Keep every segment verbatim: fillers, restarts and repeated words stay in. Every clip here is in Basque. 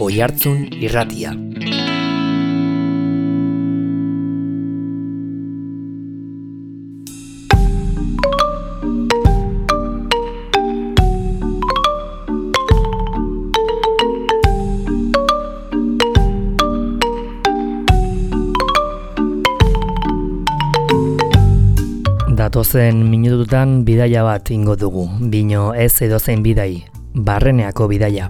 Oihartzun Irratia. Datozen minututan bidaia bat ingo dugu, bino ez edozein bidai, Barreneako bidaia.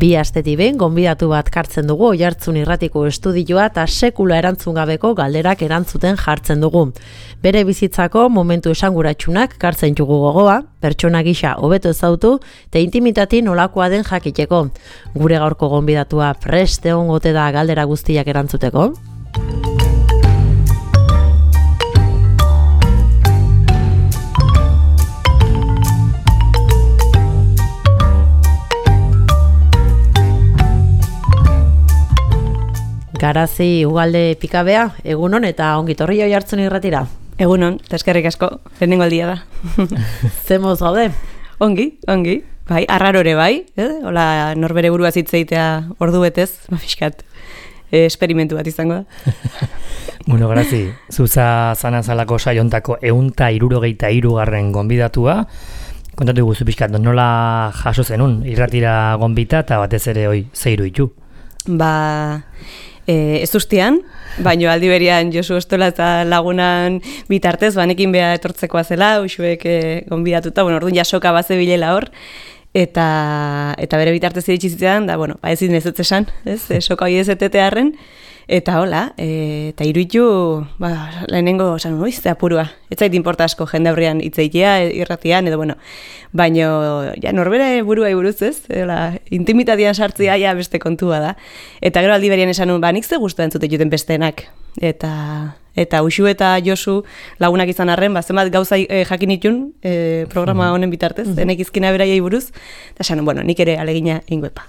Bi astetik behin gonbidatu bat kartzen dugu Oihartzun Irratiko estudioa eta sekula erantzun gabeko galderak erantzuten jartzen dugu. Bere bizitzako momentu esanguratsunak kartzen dugu gogoa, pertsona gisa hobeto ezautu eta intimitati nolakoa den jakiteko. Gure gaurko gonbidatua prest egongote da galdera guztiak erantzuteko. Garazi Ugalde Pikabea, egunon eta ongitorri Oihartzun Irratira. Egunon, eta eskerrik asko, lehenengo aldia da. Zemoz gaude? Ongi, ongi, bai, arrarore bai, eh? Hola, norbere burua zitzeitea ordu betez, fiskat, eh, esperimentu bat izango da. Bueno, Garazi, zuza zanazalako saiontako eunta irurogeita irugarren gonbidatua, kontatu guzu pixkat, nola jaso zenun, irratira gonbita eta batez ere hoi zeiru itu? Ba... E, ez ustean, baino aldi berian Josu Ostola eta lagunan bitartez, banekin beha etortzekoa zela, usuek e, gonbidatuta, bueno, orduan jasoka baze bilela hor, eta, eta bere bitartez iritsi zitean, da, bueno, ba ezin ez esan, ez, e, soka hori ez etetearren, eta hola, e, eta iruitu, ba, lehenengo, osan, oiz, eta apurua, ez zait inporta asko jende aurrean itzeitea, irratian, edo, bueno, baino, ja, norbere burua buruz ez, hola, intimitatian sartzea, ja, beste kontua da, eta gero aldi berian esan, ba, nik ze guztu entzute juten besteenak, eta... Eta Uxu eta Josu lagunak izan arren, ba, zenbat gauza e, jakin itun e, programa honen bitartez, mm-hmm. Enek izkina beraiei buruz, eta esan, bueno, nik ere alegina ingoepa.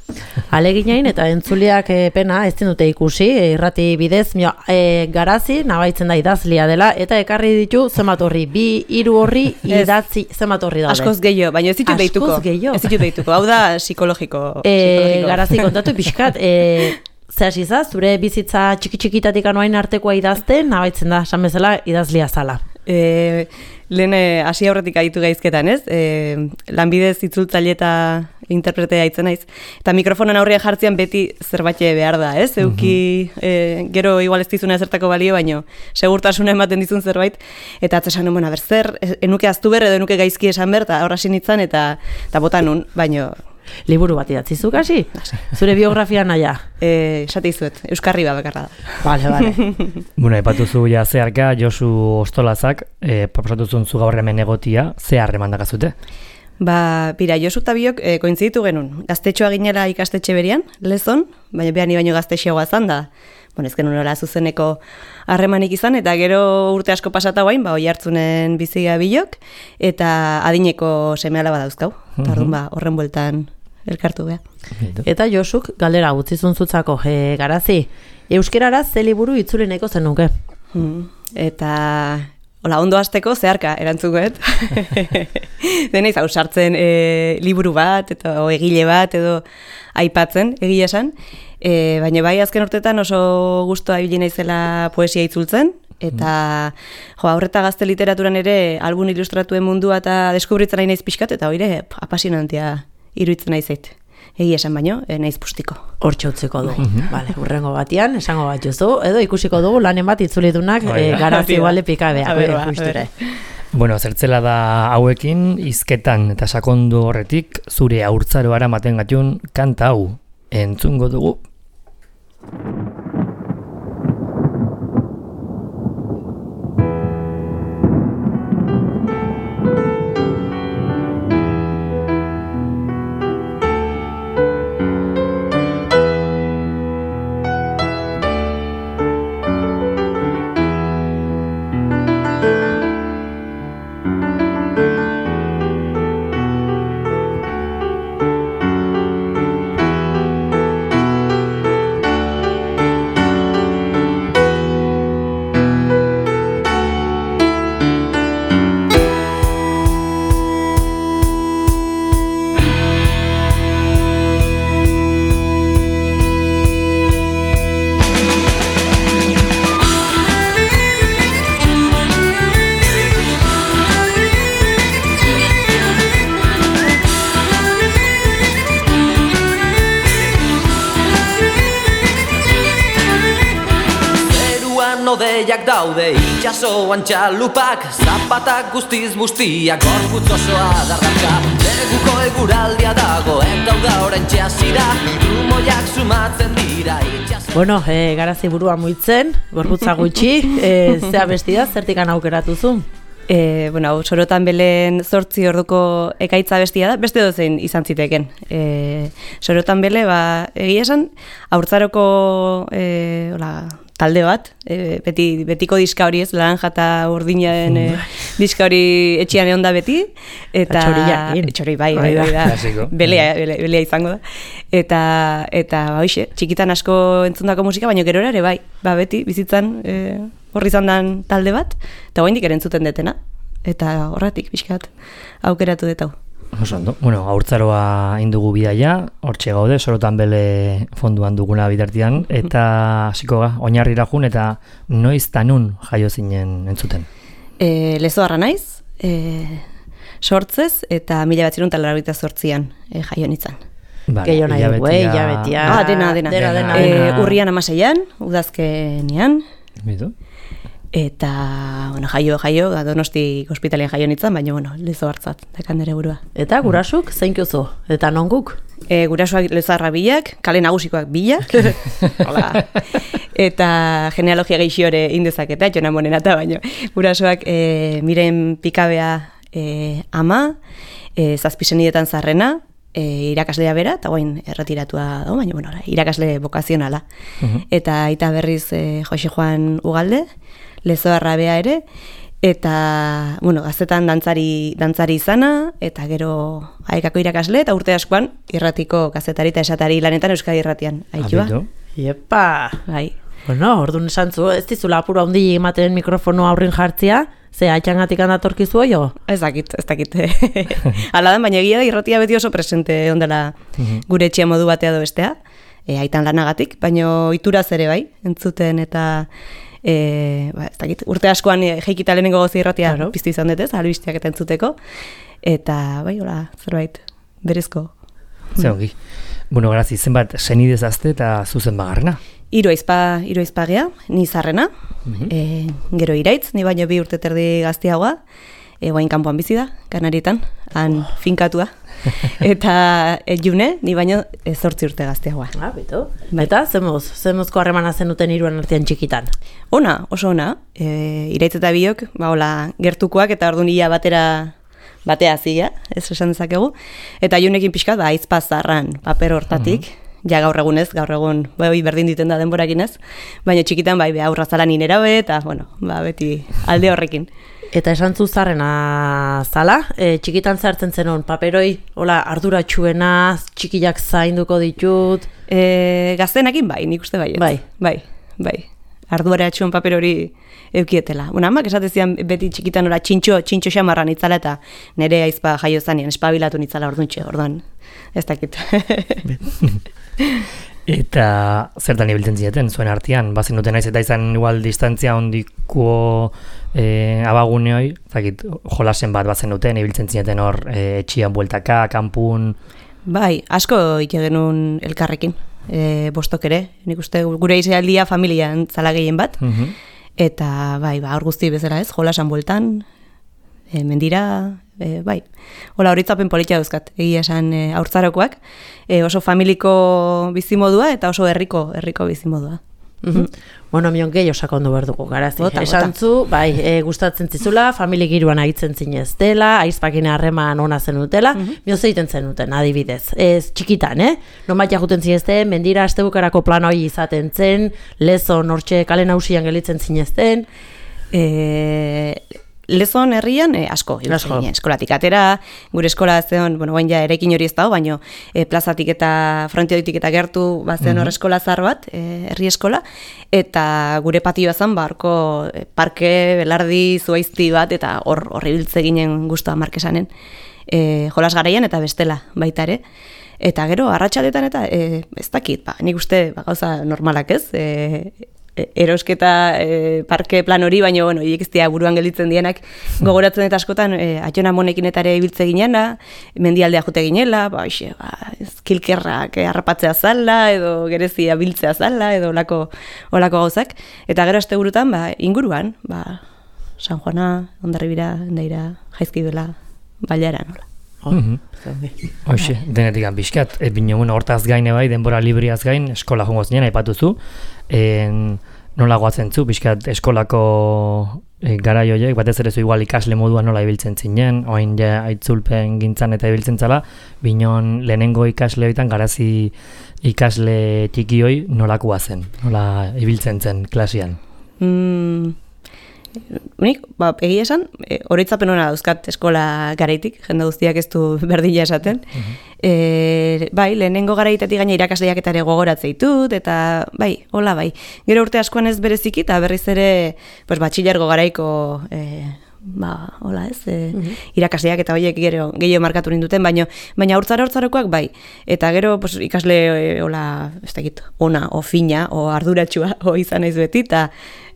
Aleginain eta entzuliak e, pena ez dute ikusi, e, irrati bidez, mio, e, Garazi nabaitzen da idazlia dela, eta ekarri ditu zenbat horri, bi, hiru horri idatzi zenbat horri daude. Askoz gehiago, baina ez ditut deituko. Askoz gehiago. Ez ditut deituko, hau da psikologiko. E, psikologiko. Garazi kontatu pixkat, e, Zer hasi zure bizitza txiki-txikitatik anoain artekoa idazten, nabaitzen da, esan bezala, idazlia zala. E, lehen hasi aurretik aditu gaizketan, ez? E, lanbidez itzultzaile eta interpretea itzen naiz. Eta mikrofonan aurrean jartzean beti zerbait behar da, ez? Euki, e, gero igual ez dizuna ezertako balio, baino segurtasuna ematen dizun zerbait. Eta atzesan, bueno, ber, zer, enuke aztu ber, edo enuke gaizki esan ber, eta horra sinitzen, eta, eta bota nun, baino... Liburu bat idatzi zuk hasi? Zure biografia naia? Eh, esate izuet, euskarri bat bakarra da. Bale, bale. Bueno, epatuzu ja zeharka, Josu Ostolazak, eh, proposatuzun zu gaur hemen egotia, ze harreman dakazute? Ba, bira, Josu eta biok e, kointziditu genuen. Gaztetxoa ginela ikastetxe berian, lezon, baina behan ni baino gaztetxeagoa zan da. Bueno, ez genuen nola zuzeneko harremanik izan, eta gero urte asko pasata guain, ba, Oihartzunen biziga bilok, eta adineko seme-alaba dauzkau. Eta orduan, ba, horren bueltan elkartu beha. Eta Josuk galdera gutzizun zutzako, e, Garazi, euskerara ze liburu itzulineko zenuke? Hmm. Eta... Hola, ondo hasteko zeharka erantzukoet. Deneiz, hau sartzen e, liburu bat, eta o, egile bat, edo aipatzen, egia esan. E, baina bai, azken urtetan oso gustoa ibili naizela poesia itzultzen, eta jo, aurreta gazte literaturan ere album ilustratuen mundua eta deskubritzen nahi naiz pixkat, eta hori apasionantea iruditzen naizeit. Egia esan baino, e, naiz pustiko. Hortxe utziko dugu. Vale, urrengo batian, esango bat juzu, edo ikusiko dugu lanen bat itzulidunak e, Garazi Ugalde Pikabea. Bueno, zertzela da hauekin, hizketan eta sakondu horretik, zure haurtzaroara maten gatun kanta hau entzungo dugu. gehiak daude itxasoan txalupak, zapatak guztiz bustiak, gorputz osoa darraka. Neguko eguraldia dago eta uda oraintxe hasi da, trumoiak sumatzen dira itxaso. Bueno, e, garazi burua muitzen, gorputza gutxi, e, zea bestia, zertikan aukeratu zu? E, bueno, hau, Sorotan Belen zortzi orduko ekaitza bestia da, beste dozein izan ziteken. E, Sorotan Bele, ba, egia esan, haurtzaroko e, hola, talde bat, e, beti, betiko diska hori ez, laranja eta urdinaren e, diska hori etxian egon da beti. Eta txori, bai, bai, bai, da, belea, belea, belea izango da. Eta, eta ba, hoxe, txikitan asko entzundako musika, baina gero ere, bai, ba, beti, bizitzan, e, horri izan den talde bat, eta oraindik ere entzuten detena. Eta horretik, pixkat, aukeratu detau. Oso ondo. Bueno, haurtzaroa indugu bidaia, hortxe gaude, Sorotan Bele fonduan duguna bitartian, eta hasiko ga, oinarrira jun, eta noiz tanun jaio zinen entzuten? E, Lezoarra naiz, e, sortzez, eta mila batzirun talarabita zortzian e, jaio nintzen. Vale, Gehiago nahi dugu, eh, hilabetia. Ah, dena, dena. dena, dena, e, dena. Urrian amaseian, udazkenean. Bitu? Eta, bueno, jaio, jaio, Donosti ospitalean jaio nintzen, baina, bueno, lezo hartzat, dekan nere burua. Eta gurasuk, zein kuzu? Eta non guk? E, gurasuak lezarra bilak, kale nagusikoak bilak. Hola. Eta genealogia gehixiore indezaketa, jona monenata, baina gurasuak e, miren pikabea e, ama, e, zazpisenietan zarrena, e, irakaslea bera, eta guain erretiratua dago, baina, bueno, irakasle bokazionala. Uh-huh. Eta aita berriz e, Jose Juan Ugalde, Lezoarra bea ere, eta, bueno, gaztetan dantzari, dantzari izana, eta gero aekako irakasle, eta urte askoan irratiko gazetari eta esatari lanetan Euskadi irratian. Aitua. Iepa! Bai. Bueno, orduan esan zu, ez dizula apuro handi ematen mikrofono aurrin jartzia, ze atxangatik handatorkizu jo? Ez dakit, ez dakit. Hala dan, baina egia da irratia beti oso presente ondela gure etxea modu batea do bestea, e, aitan lanagatik, baina ituraz ere bai, entzuten eta E, ba, ez dakit, urte askoan e, jeikita lehenengo gozi irratia claro. Piztu izan dutez, albisteak eta entzuteko, eta bai, hola, zerbait, berezko. Zer ongi. Bueno, grazi, zenbat senidez azte eta zuzen bagarrena? Hiru aizpa, hiru aizpa gea, ni zarrena, uh-huh. e, gero iraitz, ni baino bi urte terdi gaztiagoa, e, guain kanpoan bizi da, Kanarietan, han oh. finkatua. Eta e, june, ni baino e, zortzi urte gazteagoa. Ah, bitu. Eta, zemoz, zemozko harremana zenuten hiruan artean txikitan? Ona, oso ona. E, iraitz eta biok, ba, hola, gertukoak eta orduan ia batera batea zia, ez esan dezakegu. Eta junekin pixkat, ba, aizpa zarran paper hortatik, uh-huh. ja gaur egunez, gaur egun, bai, berdin diten da denborakin ez, baina txikitan, bai, aurra zala ninera be, eta, bueno, ba, beti alde horrekin. Eta esan zu zarrena zala, e, txikitan zartzen zenon, paperoi, hola, arduratxuena, txikiak zainduko ditut? E, gaztenakin bai, nik uste bai. Bai. Bai, bai. Arduratxuen paper hori eukietela. Bueno, amak esatezian beti txikitan ora txintxo, txintxo xamarra nitzala eta nere aizpa jaio zanean, espabilatu nitzala orduntxe, orduan. Ez dakit. Eta zertan ibiltzen zieten, zuen artean, bazen duten naiz eta izan igual distantzia ondiko e, abaguneoi, zakit, jolasen bat bazen duten, ibiltzen zieten hor e, etxian bueltaka, kanpun... Bai, asko ike genuen elkarrekin, e, bostok ere, nik uste gure izealdia familian zala gehien bat, uh-huh. eta bai, ba, hor guzti bezala ez, jolasan bueltan, e, mendira... E, bai, hola horitzapen politia dauzkat, egia esan e, haurtzarokoak, e, oso familiko bizimodua eta oso herriko herriko bizimodua. Mm-hmm. Bueno, mion gehiago sakondu behar dugu, garazi. Esan zu, bai, e, gustatzen zizula, familia giruan agitzen zinez dela, aizpakin harreman ona zenutela, mm-hmm. mio zeiten zenuten, adibidez. Ez txikitan, eh? Nomat jaguten zinezten, mendira astebukarako plan hori izaten zen, lezon hortxe kale nausian gelitzen zinezten. E... Lezon herrian eh, asko, asko. Eskolatik atera, gure eskola zeon, bueno, baina ja erekin hori ez dago, baina eh, plazatik eta frontioditik eta gertu bazen hor eskola zar bat, eh, herri eskola, eta gure patioa zen barko eh, parke, belardi, zuaizti bat, eta hor horri biltze ginen guztua markesanen, eh, jolas garaian eta bestela baita ere. Eta gero, arratsaldetan eta eh, ez dakit, ba, nik uste ba, gauza normalak ez, eh, erosketa e, parke plan hori, baina, bueno, hiek ez dira buruan gelditzen dienak, gogoratzen eta askotan, e, atxona monekin eta ere ibiltze ginena, mendialdea jute ginela, ba, oixe, ba, kilkerrak e, harrapatzea zala, edo gerezia biltzea zala, edo olako, olako gauzak. Eta gero aste burutan, ba, inguruan, ba, San Juana, Hondarribira, Endaira, Jaizkibela, Bailara, nola. Hoxe, denetik bizkat, e, bine, bueno, hortaz gaine bai, denbora libriaz gain, eskola jongo zinen, aipatuzu, en, nola goatzen zu, bizkat eskolako e, garai horiek, batez ere zu igual ikasle moduan nola ibiltzen zinen, oain ja aitzulpen gintzan eta ibiltzen zala, binon lehenengo ikasle horietan garazi ikasle txiki hoi nolakoa zen, nola ibiltzen zen klasian. Mm. Unik, ba, egia esan, e, oroitzapen hona dauzkat eskola garaitik, jende guztiak ez du berdila esaten. Uh-huh. e, bai, lehenengo garaitatik gaina irakasleak eta ere gogoratzea ditut, eta bai, hola bai. Gero urte askoan ez bereziki, eta berriz ere, pues, batxilergo garaiko, e, ba, hola ez, e, uh-huh. irakasleak eta horiek gero gehiago markatu ninduten, baina baina urtzara urtzarokoak bai. Eta gero pues, ikasle, e, hola, ez dakit, ona, o fina, o arduratsua, o izan naiz beti, eta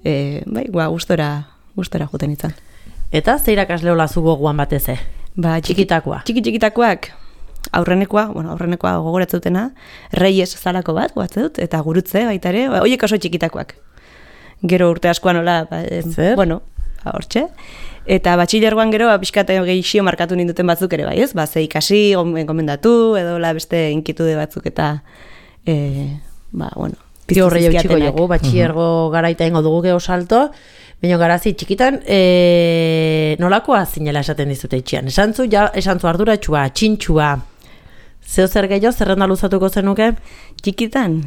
E, bai, ba, gustora, gustora juten izan. Eta ze irakasle hola zu gogoan batez e? Ba, txikitakoa. Txiki txikitakoak, aurrenekoa, bueno, aurrenekoa gogoratzutena, Reyes zalako bat, goatze dut, eta gurutze baita ere, ba, hoiek oso txikitakoak. Gero urte askoan hola, ba, Zer? bueno, ba, hortxe. Eta batxilergoan gero, ba, pixkat gehixio markatu ninduten batzuk ere bai, ez? Ba, ze ikasi, gomendatu, edo la beste inkitude batzuk eta, e, ba, bueno, Pio horreio txiko jogu, batxiergo uh-huh. garaita ingo dugu geho salto, baina garazi txikitan, e, nolakoa zinela esaten dizute itxian? Esan zu, ja, esan zu arduratxua, txintxua, zeo zer gehiago, zerrenda luzatuko zenuke? Txikitan?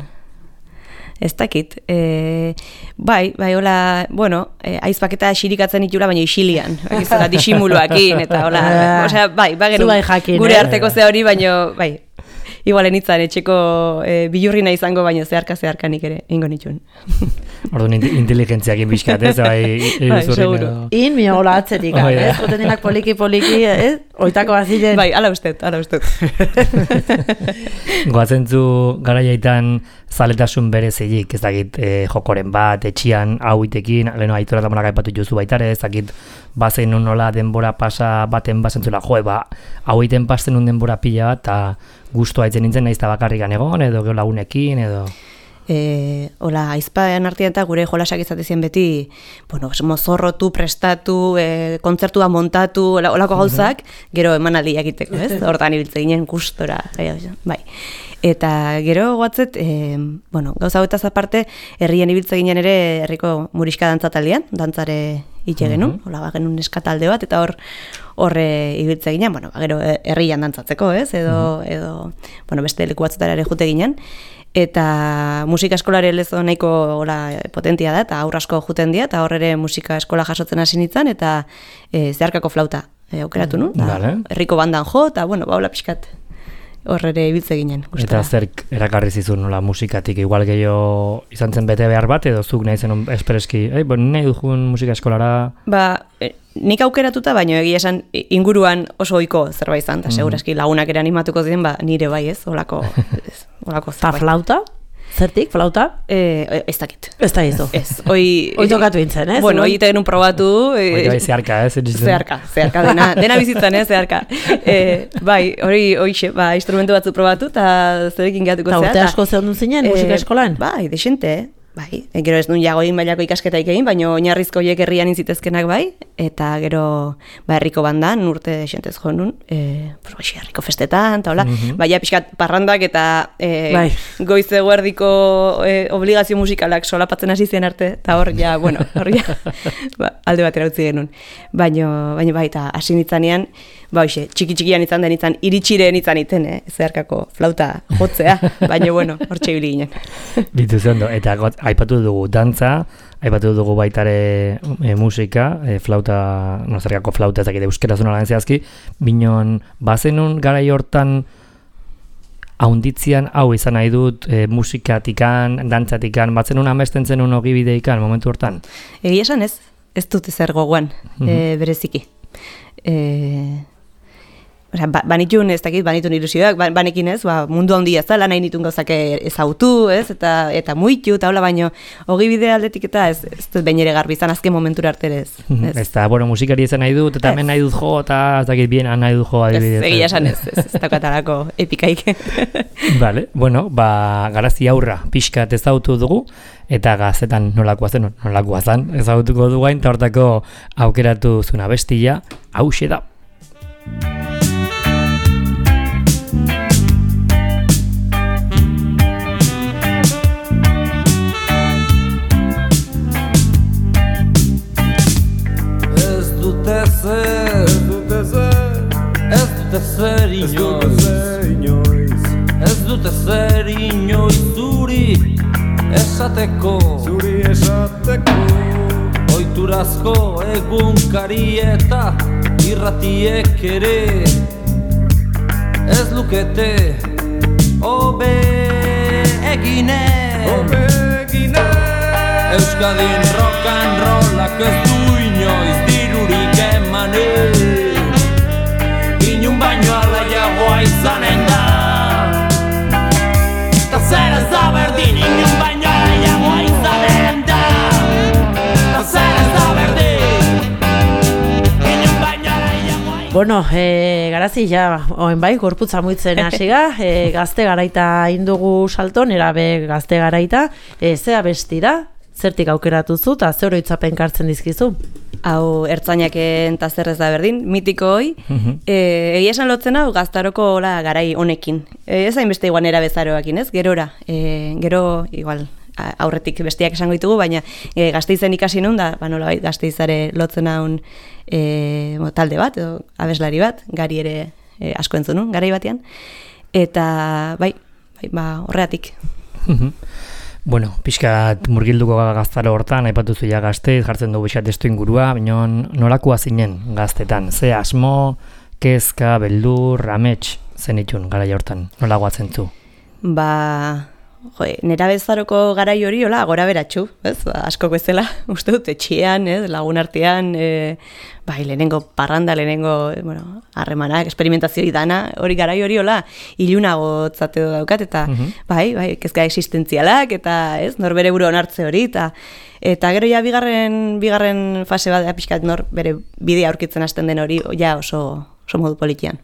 Ez dakit. E, bai, bai, hola, bueno, e, aizpaketa xirikatzen itula, baina isilian. Eta disimuluakin, eta hola, osea, bai, bai, bai jakin, gure eh? arteko ze hori, baina, bai, igualen itzan, etxeko e, bilurrina izango, baina zeharka-zeharka nik ere, ingo nituen. Orduan inteligentziak inbizkat, ez? Bai, bai, seguro. In, mi hola atzetik, oh, ez? Joten dinak poliki-poliki, ez? Oitako bazilen. Bai, ala ustez, ala ustez. Goatzen zu garaiaitan zaletasun berezilik, ez dakit, e, jokoren bat, etxian, hau itekin, leheno aitora eta monak aipatu jozu baitare, ez dakit, bazen un nola denbora pasa baten bazentzula, joe, ba, hau iten pasten un denbora pila bat, eta guztua itzen nintzen nahiz eta bakarrikan egon, edo gero lagunekin, edo... E, hola, aizpaen artean eta gure jolasak izatezien beti, bueno, mozorrotu, prestatu, e, kontzertua montatu, holako gauzak, gero emanaldia egiteko, ez? Hortan ibiltze ginen gustora, bai. Eta gero goatzet, e, bueno, gauza hauetaz aparte, herrien ibiltze ginen ere herriko muriska dantzataldean, dantzare itxe genuen, hola, ba, genuen eskatalde bat, eta hor horre ibiltze ginen, bueno, ba, gero herrian dantzatzeko, ez? Edo, edo, bueno, beste leku batzetara ere jute ginen, eta musika eskolare lezo nahiko hola, potentia da, eta aurra asko juten dira, eta horre musika eskola jasotzen hasi nintzen, eta e, zeharkako flauta e, aukeratu nu, vale. Herriko bandan jo, eta bueno, ba, hola pixkat horre ibiltze ginen. Gustora. Eta zerk erakarri zizun nola musikatik, igual gehiago izan zen bete behar bat, edo zuk nahi zen espereski, ei, bon, nahi dugun musika eskolara... Ba, e, nik aukeratuta, baina egia esan inguruan oso ohiko zerbait izan, eta mm-hmm. seguraski lagunak ere animatuko ziren, ba, nire bai ez, olako, ez, olako zerbait. Ta flauta? Zertik, flauta? Eh, ez dakit. Ez da izu. Ez, oi... Oi tokatu intzen, ez? Bueno, oi genuen probatu... Eh, oi zeharka, ez? Zeharka, zeharka, dena, dena bizitzan, ez, zeharka. Eh, bai, hori, oixe, ba, instrumentu batzu probatu, eta zerekin gehatuko zea. Ta urte asko zehondun zinen, musika eskolan? Bai, desente, bai. E, gero ez nun jagoin mailako ikasketaik egin, baina oinarrizko horiek herrian inzitezkenak bai, eta gero ba, herriko bandan urte desentez jo nun, e, pues, bai, herriko festetan, eta hola, mm-hmm. baina pixkat parrandak eta e, bai. goiz eguerdiko e, obligazio musikalak solapatzen hasi zen arte, eta hor ja, bueno, hor ja, ba, alde batera utzi genuen. Baina, baina bai, eta hasi nitzanean, ba, hoxe, txiki-txikian izan den izan, iritxiren izan iten, eh, zeharkako flauta jotzea, baina, bueno, hor txibili ginen. Bitu zondo, eta got, aipatu dugu dantza, aipatu dugu baitare e, musika, e, flauta, no, zergako flauta ezakite euskera zuna lan zehazki, binon, bazenun garai hortan haunditzian, hau izan nahi dut, e, musikatikan, dantzatikan, batzenun amesten zenun ogibideikan, momentu hortan? Egia esan ez, ez dut ezer gogoan, mm-hmm. e, bereziki. E, Osea, ba, banitun, ez dakit, banitun ilusioak, ba, banekin ez, ba, mundu handia ez da, lan nahi nitun gauzak ezautu, ez, eta eta muitu, eta hola, baino, hogi bide aldetik eta ez, ez dut behin ere garbi izan azken momentura arte ez. Ez, ez da, bueno, musikari izan nahi dut, eta hemen nahi dut jo, eta ez dakit bien nahi dut jo, adibidez. Ez, egia esan ez, ez, ez daukatalako epikaik. Vale, bueno, ba, Garazi aurra pixkat ezautu dugu, eta Gaztetan nolakoa zen, nolakoa zen, ezautuko du gain, eta hortako aukeratu zuna bestia, hauxe da. Zer inoiz, ez dute zer inoiz zuri esateko, zuri esateko. Oiturazko egunkari eta irratiek ere ez lukete hobe eginen, hobe eginen. Euskadin rock and rollak ez du inoiz dirurik emanen, baino alaiagoa izanen da. Ta zer ez da berdin, inun baino alaiagoa izanen da. Ta zer ez da berdin, inun baino alaiagoa izanen da. Bueno, e, Garazi, ja, oen bai, gorputza muitzen hasiga, e, gazte garaita indugu salton, erabe gazte garaita, e, zea besti da, zertik aukeratu zu, eta zer oroitzapen kartzen dizkizu? Hau ertzainaken eta zer ez da berdin, mitiko hoi, Mhm. e, egia esan lotzen hau gaztaroko hola garai honekin. E, ez hainbeste igual nera bezaroakin, ez? Gerora, e, gero, igual, aurretik bestiak esango ditugu, baina e, Gasteizen ikasi nun da, ba, nolabait Gasteizare lotzen haun e, talde bat, edo abeslari bat, gari ere e, asko entzun nun, garai batean, eta bai, bai ba, horreatik. Mhm. Bueno, pixkat murgilduko gaztaro hortan, aipatu zuia Gasteiz, jartzen dugu pixkat testu ingurua, baina nolakoa zinen Gaztetan? Ze asmo, kezka, beldur, amets zenitun garai hortan, nola guatzen zu? Ba, jo, nera bezaroko garai hori, hola, gora beratxu, ez? Ba, askok bezala, uste dut, etxean, ez? Lagun artean, e, bai, lehenengo parranda, lehenengo, e, bueno, harremanak, esperimentazio idana, hori garai hori, hola, ilunago tzate daukat, eta, Mhm. bai, bai, kezka existentzialak, eta, ez, nor bere buru onartze hori, eta, eta gero ja bigarren, bigarren fase bat, pixkat nor bere bidea aurkitzen hasten den hori, ja oso, oso modu politian.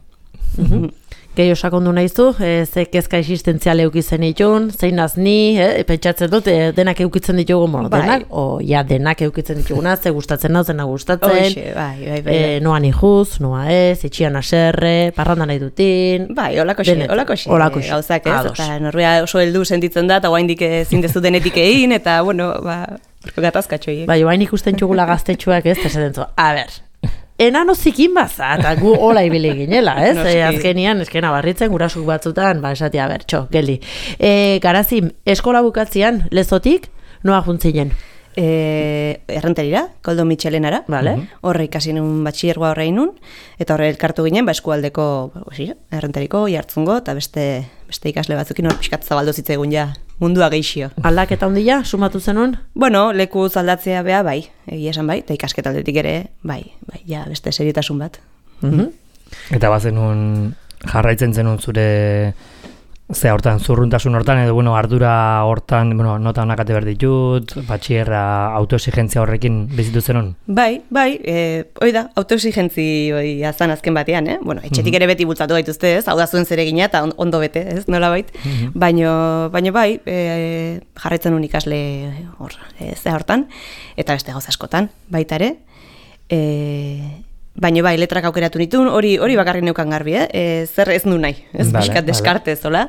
Mhm. Gehi osakondu nahizu, e, ze kezka existentziale eukitzen ditun, zein ni, e, pentsatzen dut, e, denak eukitzen ditugu, bueno, Bai. denak, o ja, denak eukitzen dituguna, ze gustatzen nau, zena gustatzen, Hoxe, bai, bai, bai. e, noa nijuz, noa ez, etxian aserre, parranda nahi dutin. Bai, holako xe, Denet- holako xe, holako xe. gauzak, ez? Ados. Eta norbea oso heldu sentitzen da, eta guaindik ezin dezu denetik egin, eta, bueno, ba, orko gatazkatxoiek. Bai, bain ikusten txugula gaztetxoak ez, eta esaten zu, a ber, enano zikin baza, eta gu hola ibili ginela, ez? Noski. E, azkenian, eskena barritzen, gurasuk batzutan, ba, esatia, ber, txo, geldi. E, Garazi, eskola bukatzean, lezotik, noa juntzinen? E, errenterira, Koldo Mitxelenara, Vale. horre ikasi nun batxillergoa horre inun, eta horre elkartu ginen, ba, eskualdeko, ba, osi, errenteriko, jartzungo, eta beste, beste ikasle batzukin hor pixkat zabaldu zitzegun ja, mundua geixio. Aldaketa handia, sumatu zenun? Bueno, leku aldatzea bea, bai, egia esan bai, eta ikasketaldetik ere, bai, bai, ja, beste seriotasun bat. Mhm. Eta bazenun jarraitzen zenun zure ze hortan, zurruntasun hortan, edo bueno, ardura hortan, bueno, nota honak ate behar ditut, batxierra autoexigentzia horrekin bizitu zenun? Bai, bai, e, hoi da, autoexigentzi hoi azan azken batean, eh? Bueno, etxetik ere beti bultzatu gaituzte, ez? Hau da zuen zeregina eta on- ondo bete, ez? Nola bait? Baino, baino bai, e, jarraitzen un ikasle hor, e, ze hortan, eta beste gauza askotan, baita ere. E, baino bai, letrak aukeratu nituen, hori hori bakarrik neukan garbi, eh? E, zer ez nu nahi, ez? Vale, Pixkat vale. deskartez, hola?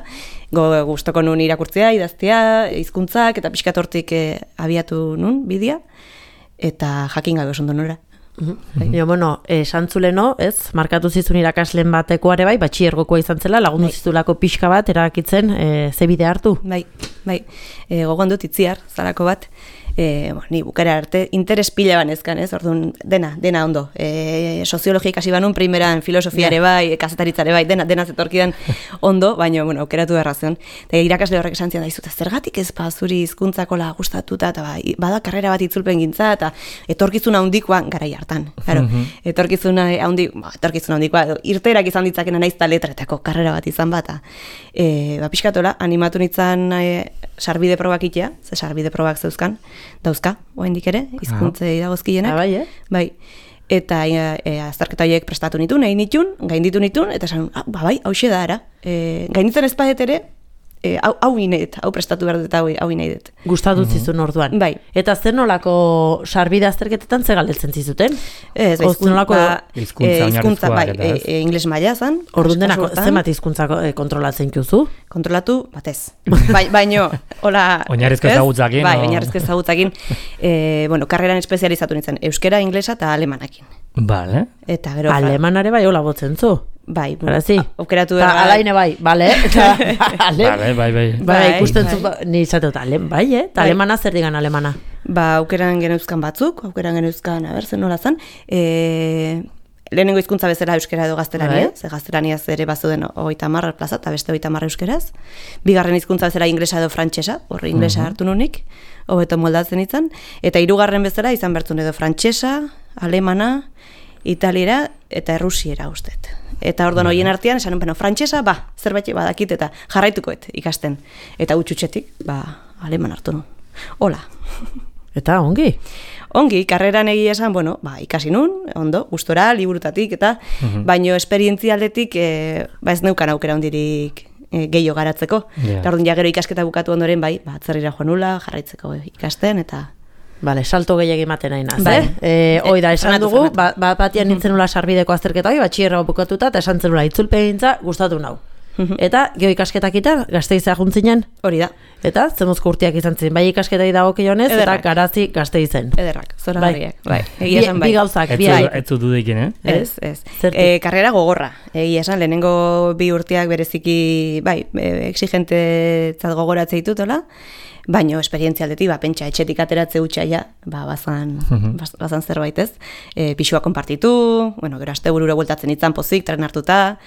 Go, gustoko nun irakurtzea, idaztea, hizkuntzak eta pixkat hortik e, abiatu nun bidea, eta jakin gabe oso ondo nora. Jo, bueno, esan zuleno, ez, markatu zizun irakasleen batekoare bai, batxiergokoa izan zela, lagundu zizulako pixka bat, erakitzen, e, ze bide hartu. Bai, bai, e, gogoan dut itziar, zarako bat, E, bo, ni bukara arte interes pila banezkan, ez? Orduan, dena, dena ondo. E, soziologia ikasi banun, primeran filosofiare bai, kazetaritzare bai, dena, dena zetorkidan ondo, baina, bueno, aukeratu errazion. Eta irakasle horrek esan zian da, izut, zergatik ez ba, zuri hizkuntzako la gustatuta, eta ba, bada karrera bat itzulpen gintza, eta etorkizuna handikoa garai hartan. Claro, etorkizuna handi, ba, etorkizuna handikoa, irteerak izan ditzakena naiz ta letretako karrera bat izan bata. E, ba, pixkatola, animatu nintzen e, sarbide probak itea, ze sarbide probak zeuzkan, dauzka, oraindik ere, hizkuntzei dagozkienak. Ah, bai, eh? Bai. Eta e, e, azterketa horiek prestatu nitun, egin nitun, gainditu nitun, eta esan, ah, ba, bai, hauxe da, ara. E, gainditzen ez paet ere, e, hau, hau inaidet, hau prestatu behar dut, hau, hau inaidet. Gustatu zizun orduan. Bai. Eta zer nolako sarbide azterketetan ze galdetzen zizuten? Ez, bai, nolako ba, hizkuntza e, hizkuntza, bai, oinarrizkoak eta ez? e, e, ingles maila zan. Orduan dena, kasu hortan. zenbat hizkuntzako e, kontrolatzen juzu? Kontrolatu, batez. Bai, baino, hola... Oinarrizko ez? ezagutzakin, Bai, o- oinarrizko ezagutzakin. E, bueno, karreran espezializatu nintzen, euskera, inglesa eta alemanakin. Vale. Eta gero... Alemanare bai hola botzen zu? Bai, Bara, zi? aukeratu Ta erra- alaine bai, bale? Eta ale... Vale, bai, bai. Bai, Bai, ikusten bai. zu, ba, ni izate dut, ale, bai, eh? Ta Bai. alemana zer digan alemana? Ba, aukeran geneuzkan batzuk, aukeran geneuzkan, a ber, zen nola zen, e, lehenengo hizkuntza bezala euskera edo gaztelania, Bai. ze gaztelaniaz ere bazuden hogeita hamar plaza, eta beste hogeita hamar euskeraz. Bigarren hizkuntza bezala inglesa edo frantsesa, horre inglesa hartu nunik, hobeto moldatzen izan. Eta hirugarren bezala izan bertzun edo frantsesa, alemana, italiera eta errusiera ustet. Eta orduan horien artean, esan, bueno, frantsesa, ba, zerbait badakit eta jarraitukoet ikasten. Eta utxutxetik, ba, aleman hartu nu. Hola. Eta ongi? Ongi, karreran egia esan, bueno, ba, ikasi nun, ondo, gustora, liburutatik, eta baino esperientzialdetik, e, ba ez neukan aukera hondirik e, gehiago garatzeko. Ja. Eta orduan ja gero ikasketa bukatu ondoren, bai, ba, atzerrira joan nula, jarraitzeko ikasten, eta... Bale, salto gehiagi ematen nahi naz, Bai. eh? E, hoi da, esan Frenatu, dugu, frenatu. ba, ba, batian nintzen nula sarbideko azterketa hori, batxierra bukatuta, eta esan zenula itzulpen gintza, gustatu nau. Eta, geho ikasketak eta, Gasteiza juntzinen, Hori da, eta zemuzko urtiak izan ziren, bai ikasketai dagokionez, eta Ederrak. Garazi Gasteizen. ederrak, zora garriak, bai. Bi, Egia esan bai. bi gauzak, Ez bi zu- ai. ez zu dudekin, eh? Ez, ez. Zertik? E, karrera gogorra. Egia esan, lehenengo bi urteak bereziki, bai, e, exigentetzat gogoratze ditutola, baino esperientzialdetik, ba, pentsa, etxetik ateratze hutsaia, ba, bazan, baz- bazan zerbait ez. E, pixua konpartitu, bueno, gero asteburura bueltatzen itzan pozik, tren hartuta,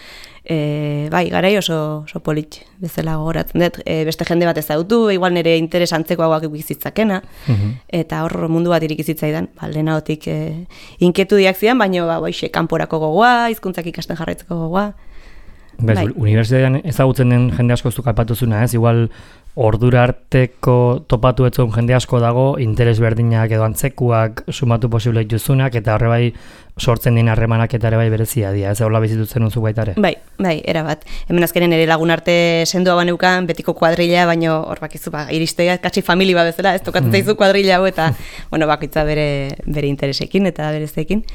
e, bai, garai oso, oso polit bezala gogoratzen dut, e, beste jende bat ezagutu, igual nire interes antzekoagoak ikizitzakena, eta hor mundu bat irikizitzaidan, ba, lehenagotik e, inketudiak zidan, baino, ba, boixe, kanporako gogoa, hizkuntzak ikasten jarraitzeko gogoa. Bez, Bai. unibertsitatean ezagutzen den jende asko zuk aipatuzuna, ez? Igual ordura arteko topatu etzun jende asko dago, interes berdinaak edo antzekuak sumatu posible dituzunak, eta horre bai sortzen din harremanak eta ere bai berezia dira, ez hola bizitutzen unzu baita ere. Bai, bai, erabat. Hemen azkenen ere lagun arte sendoa baneukan, betiko kuadrilla, baino hor bakizu, ba, iristea, katxi famili ba bezala, ez tokatzen zaizu kuadrilla hau, eta, bueno, bakitza bere, bere interesekin eta berezekin.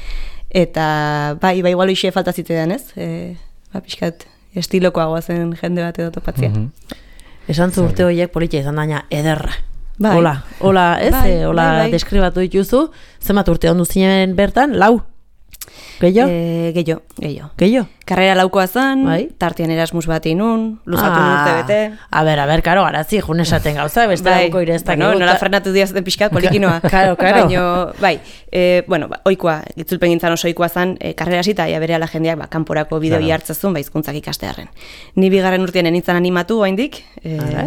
Eta, bai, bai, igual hoxe falta zitzaidan, ez? E, ba, pixkat, estilokoagoa zen jende bat edo topatzea. Mhm. Esan zu urte horiek politia izan daina ederra. Bai. Hola, hola, ez? Bai, Eh, hola bai, bai. deskribatu dituzu, zenbat urte ondu zinen bertan, lau? Gehiago? E, gehiago, gehiago. Gehiago? Karrera laukoa zen, Bai. tartean Erasmus bat inun, luzatu ah. urte bete. A ber, a ber, karo, garazi, jun esaten gauza, beste Bai, gauko ireztak bueno, nola frenatu diazaten pixkat, polikinoa. Karo, karo. Baino, bai, e, bueno, ba, oikoa, itzulpen gintzan oso oikoa zen, e, karrera zita, ja bere ala jendeak, ba, kanporako bideo Claro. jartzezun, ba, hizkuntzak ikastearen. Ni bigarren urtean nintzen animatu, oraindik, e, Ara.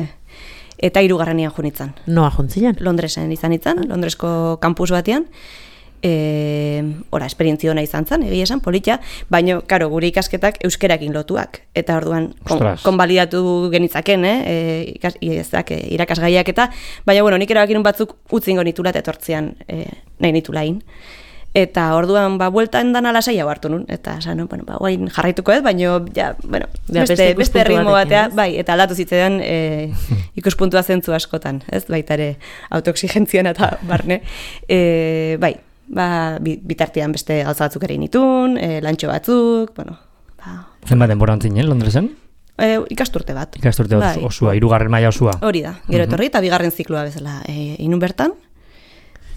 eta hirugarrenean jo nintzen. Noa juntzinen? Londresen izan nintzen, Londresko kampus batean, e, ora, esperientzio ona izan zen, egia esan, politia, baina, karo, gure ikasketak euskerakin lotuak, eta orduan, kon, Ostras. konbalidatu genitzaken, eh, e, ikas, ezak, e, irakasgaiak eta, baina, bueno, nik erabakinun batzuk utzingo nitula eta etortzean e, nahi nitulain. Eta orduan, ba, bueltan dan alasai hau hartu nun, eta esan, no, bueno, ba, guain jarraituko ez, baina, ja, bueno, Ja, beste beste, ikuspuntu beste ritmo batekin, batea, ez? bai, eta aldatu zitzaidan e, ikuspuntua zentzu askotan, ez, baita ere autoexigentzian eta barne, e, bai, ba, bi- bitartean beste gauza batzuk ere nitun, e, lantxo batzuk, bueno, ba, Zenbat denbora antzinen, Londresen? e, ikasturte bat. Ikasturte Bai. bai. osua, hirugarren maila osua. Hori da, gero etorri eta bigarren zikloa bezala e, inun bertan.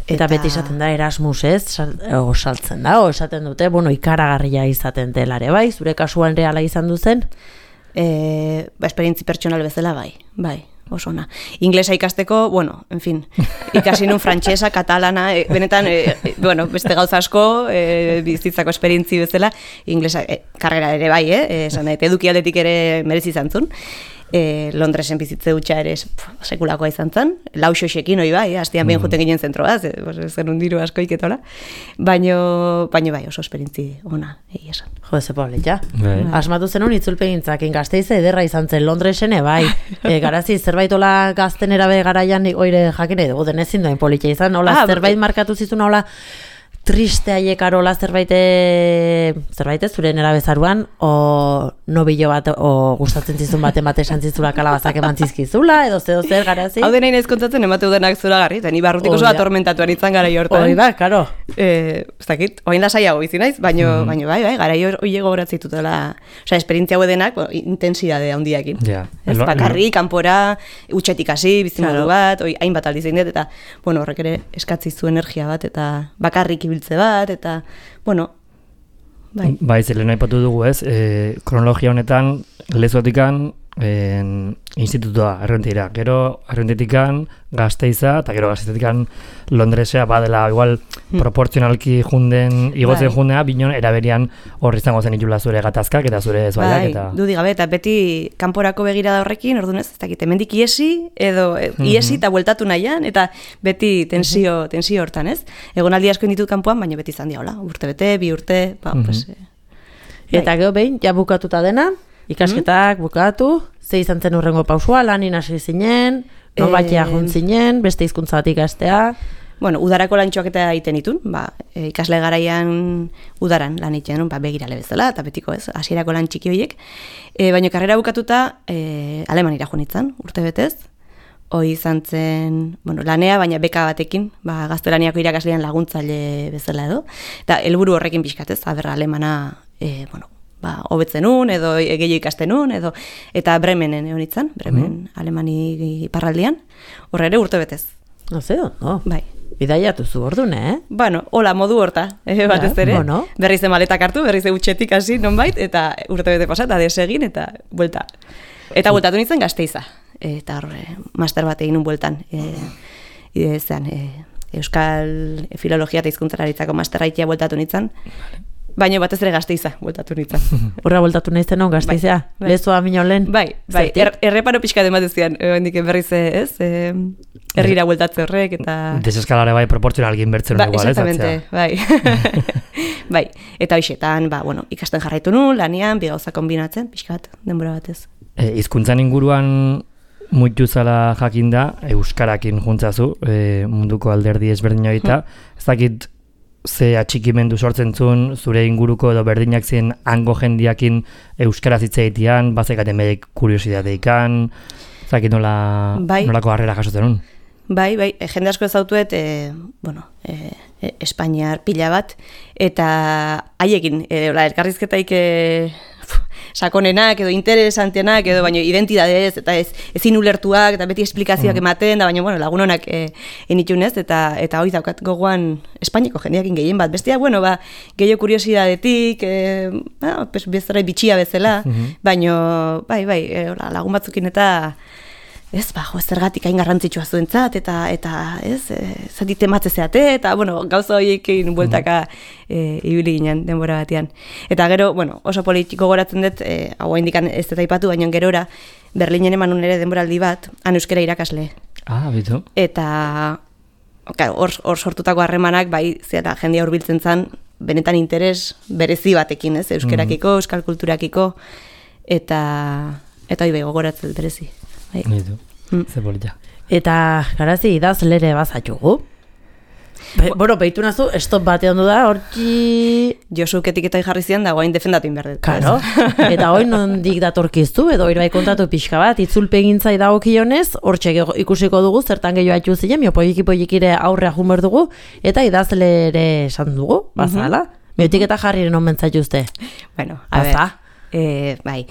Eta beti esaten da Erasmus, ez? Sal- o, saltzen da, o esaten dute, bueno, ikaragarria izaten dela ere, bai? Zure kasuan reala izan duzen? E, ba, esperientzi pertsonal bezala bai, bai. oso ona. Inglesa ikasteko, bueno, en fin, ikasi nun frantsesa, katalana, e, benetan, e, e, bueno, beste gauza asko, e, bizitzako esperientzi bezala, inglesa, e, karrera ere bai, eh? esan nahi, eduki aldetik ere merezi izan zuen. E, Londresen bizitze dutxa ere sekulakoa izan zen, lauxoxekin hoi bai, hastian behin juten ginen zentroa, zen undiru asko iketola, baino, baino bai oso esperintzi ona, egi esan. Jo, ze Paulita, asmatu zenun itzulpegintzak, Gasteize ederra izan zen, Londresen bai, e, garazi zerbaitola gazten erabe garaian oire jakin dugu denezin duen Polita izan, hola ah, zerbait markatu zizun, hola triste aiekarola zerbait zerbait zure nera bezaruan o nobilo bat o gustatzen zizun baten bate esan zizula kalabazak eman zizkizula edo zer zer garazi. Hau dena inez kontatzen emate udenak zoragarri, eta ni barrutik oso atormentatuan izan gara hortan. Hoi da, karo. Eh, ez dakit, orain lasaiago bizi naiz, baino mm. baino bai, bai, garai hori gogoratzen ditutela, osea, esperientzia hau denak, bueno, intensidade handiakin. Ja. Ez bakarri kanpora, utxetik hasi, bizimodu bat, oi hainbat aldiz egin dut eta bueno, horrek ere eskatzi zu energia bat eta bakarrik biltze bat, eta, bueno, bai. Bai, zelen aipatu dugu ez, e, kronologia honetan, lezotikan, en, institutua, errentira. Gero, errentitikan, Gasteiza, eta gero Gasteizetikan Londresea, badela, igual, hmm. proportzionalki junden, igotzen bai. Jundea, binon, eraberian horri izango zen itula zure gatazkak, eta zure ezbaiak, bai, eta... dudik gabe, eta beti kanporako begirada horrekin, orduan ez, ez dakit, hemendik iesi, edo mm-hmm. iesi eta bueltatu nahian, eta beti tensio, mm-hmm. tensio hortan, ez? Egonaldi asko inditut kanpoan, baina beti izan diola, urte bete, bi urte, ba, mm-hmm. pues... Eh, eta gero behin, ja bukatuta dena, ikasketak mm-hmm. bukatu, ze izan zen urrengo pausua, lanin hasi zinen, non batia jun zinen, beste hizkuntza bat ikastea. Bueno, udarako lantxoak eta egiten ditun, ba, e, ikasle garaian udaran lan egiten, ba, begirale bezala, eta betiko ez, hasierako lan txiki horiek. E, baina karrera bukatuta, e, Alemanira joan nintzen, urte betez. Hoi izan zen, bueno, lanea, baina beka batekin, ba, gaztelaniako irakaslean laguntzaile bezala edo. Eta helburu horrekin pixkatez, aberra alemana, e, bueno, ba, hobetzen un, edo gehiago ikasten un, edo, eta Bremenen egon nintzen, Bremen, mm. Alemani parraldian, horre ere urte betez. No ze, no? Bai. Bidaiatu zu ordun, eh? Bueno, hola, modu horta, eh, batez ere. Bueno. Berriz de maletak hartu, berriz de utxetik hasi nonbait, eta urte bete pasa, eta desegin, eta buelta. Eta bueltatu nintzen Gasteiza. Eta horre, master bat egin un bueltan. E, e, zean, e, Euskal Filologia eta Hizkuntzalaritzako masterra ikia bueltatu nintzen. Baina batez ere Gasteiza bueltatu nintzen. Horra bueltatu naizten hon Gasteizea? Bai, bai. Lezoa minio lehen? Bai, bai. Er, erreparo pixka dematezkian, hendik berriz ez, e, herrira bueltatze horrek, eta... Deseskalare bai proportzionalgin bertzen ba, igual, ez? Exactamente, bai. Bai, eta hoxetan, ba, bueno, ikasten jarraitu nu, lanian, bi gauza kombinatzen, pixka bat, denbora batez. E, hizkuntzan inguruan muitu zala jakinda, euskarakin juntzazu, e, munduko alderdi ezberdin horita, hmm. ez dakit ze atxikimendu sortzen zuen, zure inguruko edo berdinak ziren hango jendiakin euskaraz hitz egitean, bazekaten medek kuriositateikan, ez dakit nola, bai. Nolako harrera jasotzen un. Bai, bai, e, jende asko ezautuet, e, bueno, e, e, Espainiar pila bat, eta haiekin, e, elkarrizketaik e, sakonenak edo interesantenak edo baino identidadez eta ez ezin ulertuak eta beti esplikazioak mm. ematen da baina bueno lagunonak eh enitunez eta eta hoi daukat gogoan Espainiako jendeekin gehien bat bestea bueno ba gehiago kuriosidadetik eh ba pues bezara bitxia bezala mm-hmm. baino bai bai e, lagun batzukin eta ez ba jo zergatik hain garrantzitsua zuentzat eta eta ez e, zati tematze zeate eta bueno gauza horiekin bueltaka e, ibili ginen denbora batean eta gero bueno oso politiko goratzen dut e, hau indikan ez dut aipatu baina gerora Berlinen eman ere denboraldi bat han euskara irakasle ah bitu eta claro hor hor sortutako harremanak bai zera jendea hurbiltzen zan benetan interes berezi batekin ez euskerakiko mm. euskal kulturakiko eta eta hori bai gogoratzen dut berezi. Nitu, mm. ze polita. Eta, garazi, idazlere bazatugu. Be, bueno, behitu nazu, stop bate ondo da, hortzi... Josu etiketai jarri zian, da guain defendatu inberdet. Karo, eta hoi nondik datorkiztu, edo hori bai kontatu pixka bat, itzulpegintzai dagokionez, hortxe ikusiko dugu, zertan gehiago atxu ziren, miopoiki-poikire aurrea jumber dugu, eta idazlere esan dugu, bazala. Mm-hmm. Miotik eta jarriren on mentzatuzte. Bueno, a Baza. Ver. E, bai,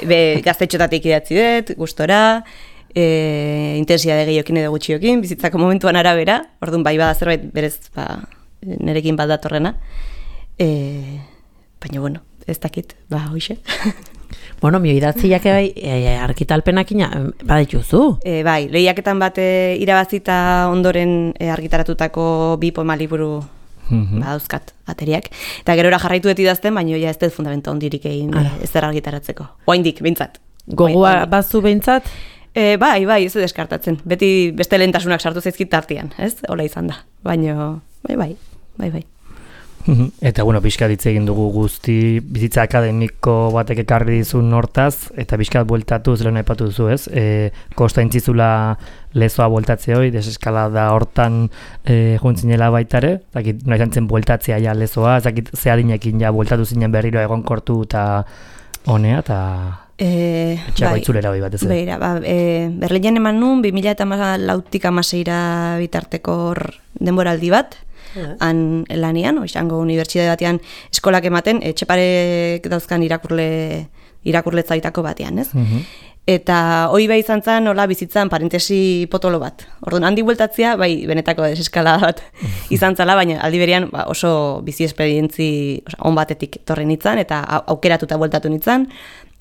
be, gaztetxotatik idatzi dut, gustora, e, intensidade gehiokin edo gutxiokin, bizitzako momentuan arabera, orduan bai bada zerbait berez ba, nerekin bat datorrena, e, baina bueno, ez dakit, ba, hoxe. Bueno, mi idatziak bai, e, argitalpenakina badituzu. E, bai, lehiaketan bat e, irabazita ondoren e, argitaratutako bi poema liburu Mhm. badauzkat ateriak. Eta gerora jarraitu dut idazten, baina ja ez dut fundamento ondirik egin e, ez zer argitaratzeko. Oaindik, behintzat. Gogoa bazu behintzat? E, bai, bai, ez dut deskartatzen. Beti beste lehentasunak sartu zaizkit tartean, ez? Hola izan da. Baina, bai, bai, bai, bai. Eta, bueno, pixka ditze egin dugu guzti bizitza akademiko batek ekarri dizun hortaz, eta pixka bueltatu, zelen aipatu duzu, ez? E, kosta intzizula lezoa bueltatze hoi, deseskalada hortan e, juntzinela baitare, zakit, nahi zantzen bueltatzea ja lezoa, zakit zeadinekin ja bueltatu zinen berriro egonkortu eta honea, eta E, etxeako bai, itzulera hoi batez. Beira, ba, e, Berlinen eman nun, bi mila lautik amaseira bitarteko hor denboraldi bat, han lanian, oizango unibertsitate batean eskolak ematen, etxeparek dauzkan irakurle, irakurletzaitako batean, ez? Mhm. Eta hoi bai izan zen, nola bizitzan parentesi potolo bat. Orduan, handi bueltatzea, bai, benetako deseskalada bat izan zala, baina aldi berean ba, oso bizi esperientzi oza, on batetik torri nintzen, eta aukeratuta bueltatu nintzen.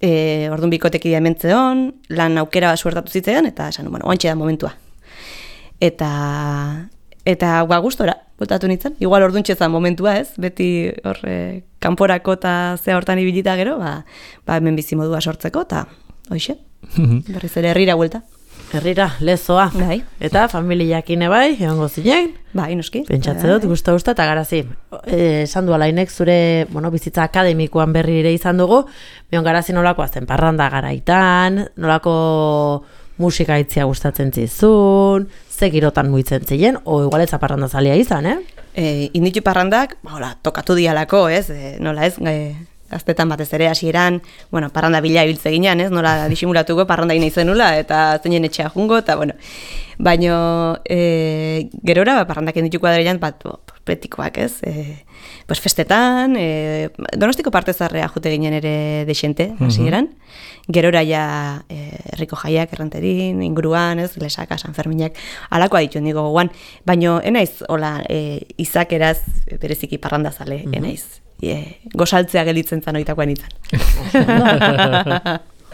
E, orduan bikotekidea hementzeon, lan aukera suertatu zitzaidan, eta esan, bueno, oantxe da momentua. Eta, eta ba, gustora, bueltatu nintzen. Igual orduan txezan momentua, ez? Beti horre, kanporako eta zea hortan ibilita gero, ba, ba hemen bizi modua sortzeko, eta hoxe, berriz ere herrira buelta. Herrira, lezoa. Bai. Eta familiakine bai, egongo zinen. Bai, noski. Pentsatze dut, gusta-gusta, eta garazi. E, esan du alainek zure bueno, bizitza akademikoan berri ere izan dugu, bion garazi nolakoa zen, parranda garaitan, nolako musika itzia gustatzen zizun, ze girotan muitzen ziren, o igual ez parranda zalia izan, eh? E, inditu parrandak, ba, hola, tokatu dialako, ez? E, nola ez, e, gaztetan batez ere hasieran, bueno, parranda bila ibiltze ginean, ez? Nola disimulatuko parranda ina izenula, eta zeinen etxea jungo, eta bueno. Baina e, gerora, ba, parrandak indituko adreian, bat, bo, betikoak, ez? E, pues festetan, e, Donostiko partezarrea jute ginen ere desente, hasieran. Gerora ja e, herriko jaiak erranterin, inguruan, ez? Lesaka, Sanferminak, alakoa ditu nigo goguan. Baina, enaiz, hola, e, izakeraz bereziki parranda zale, mm-hmm. enaiz. E, gozaltzea gelitzen zan oitakoan izan.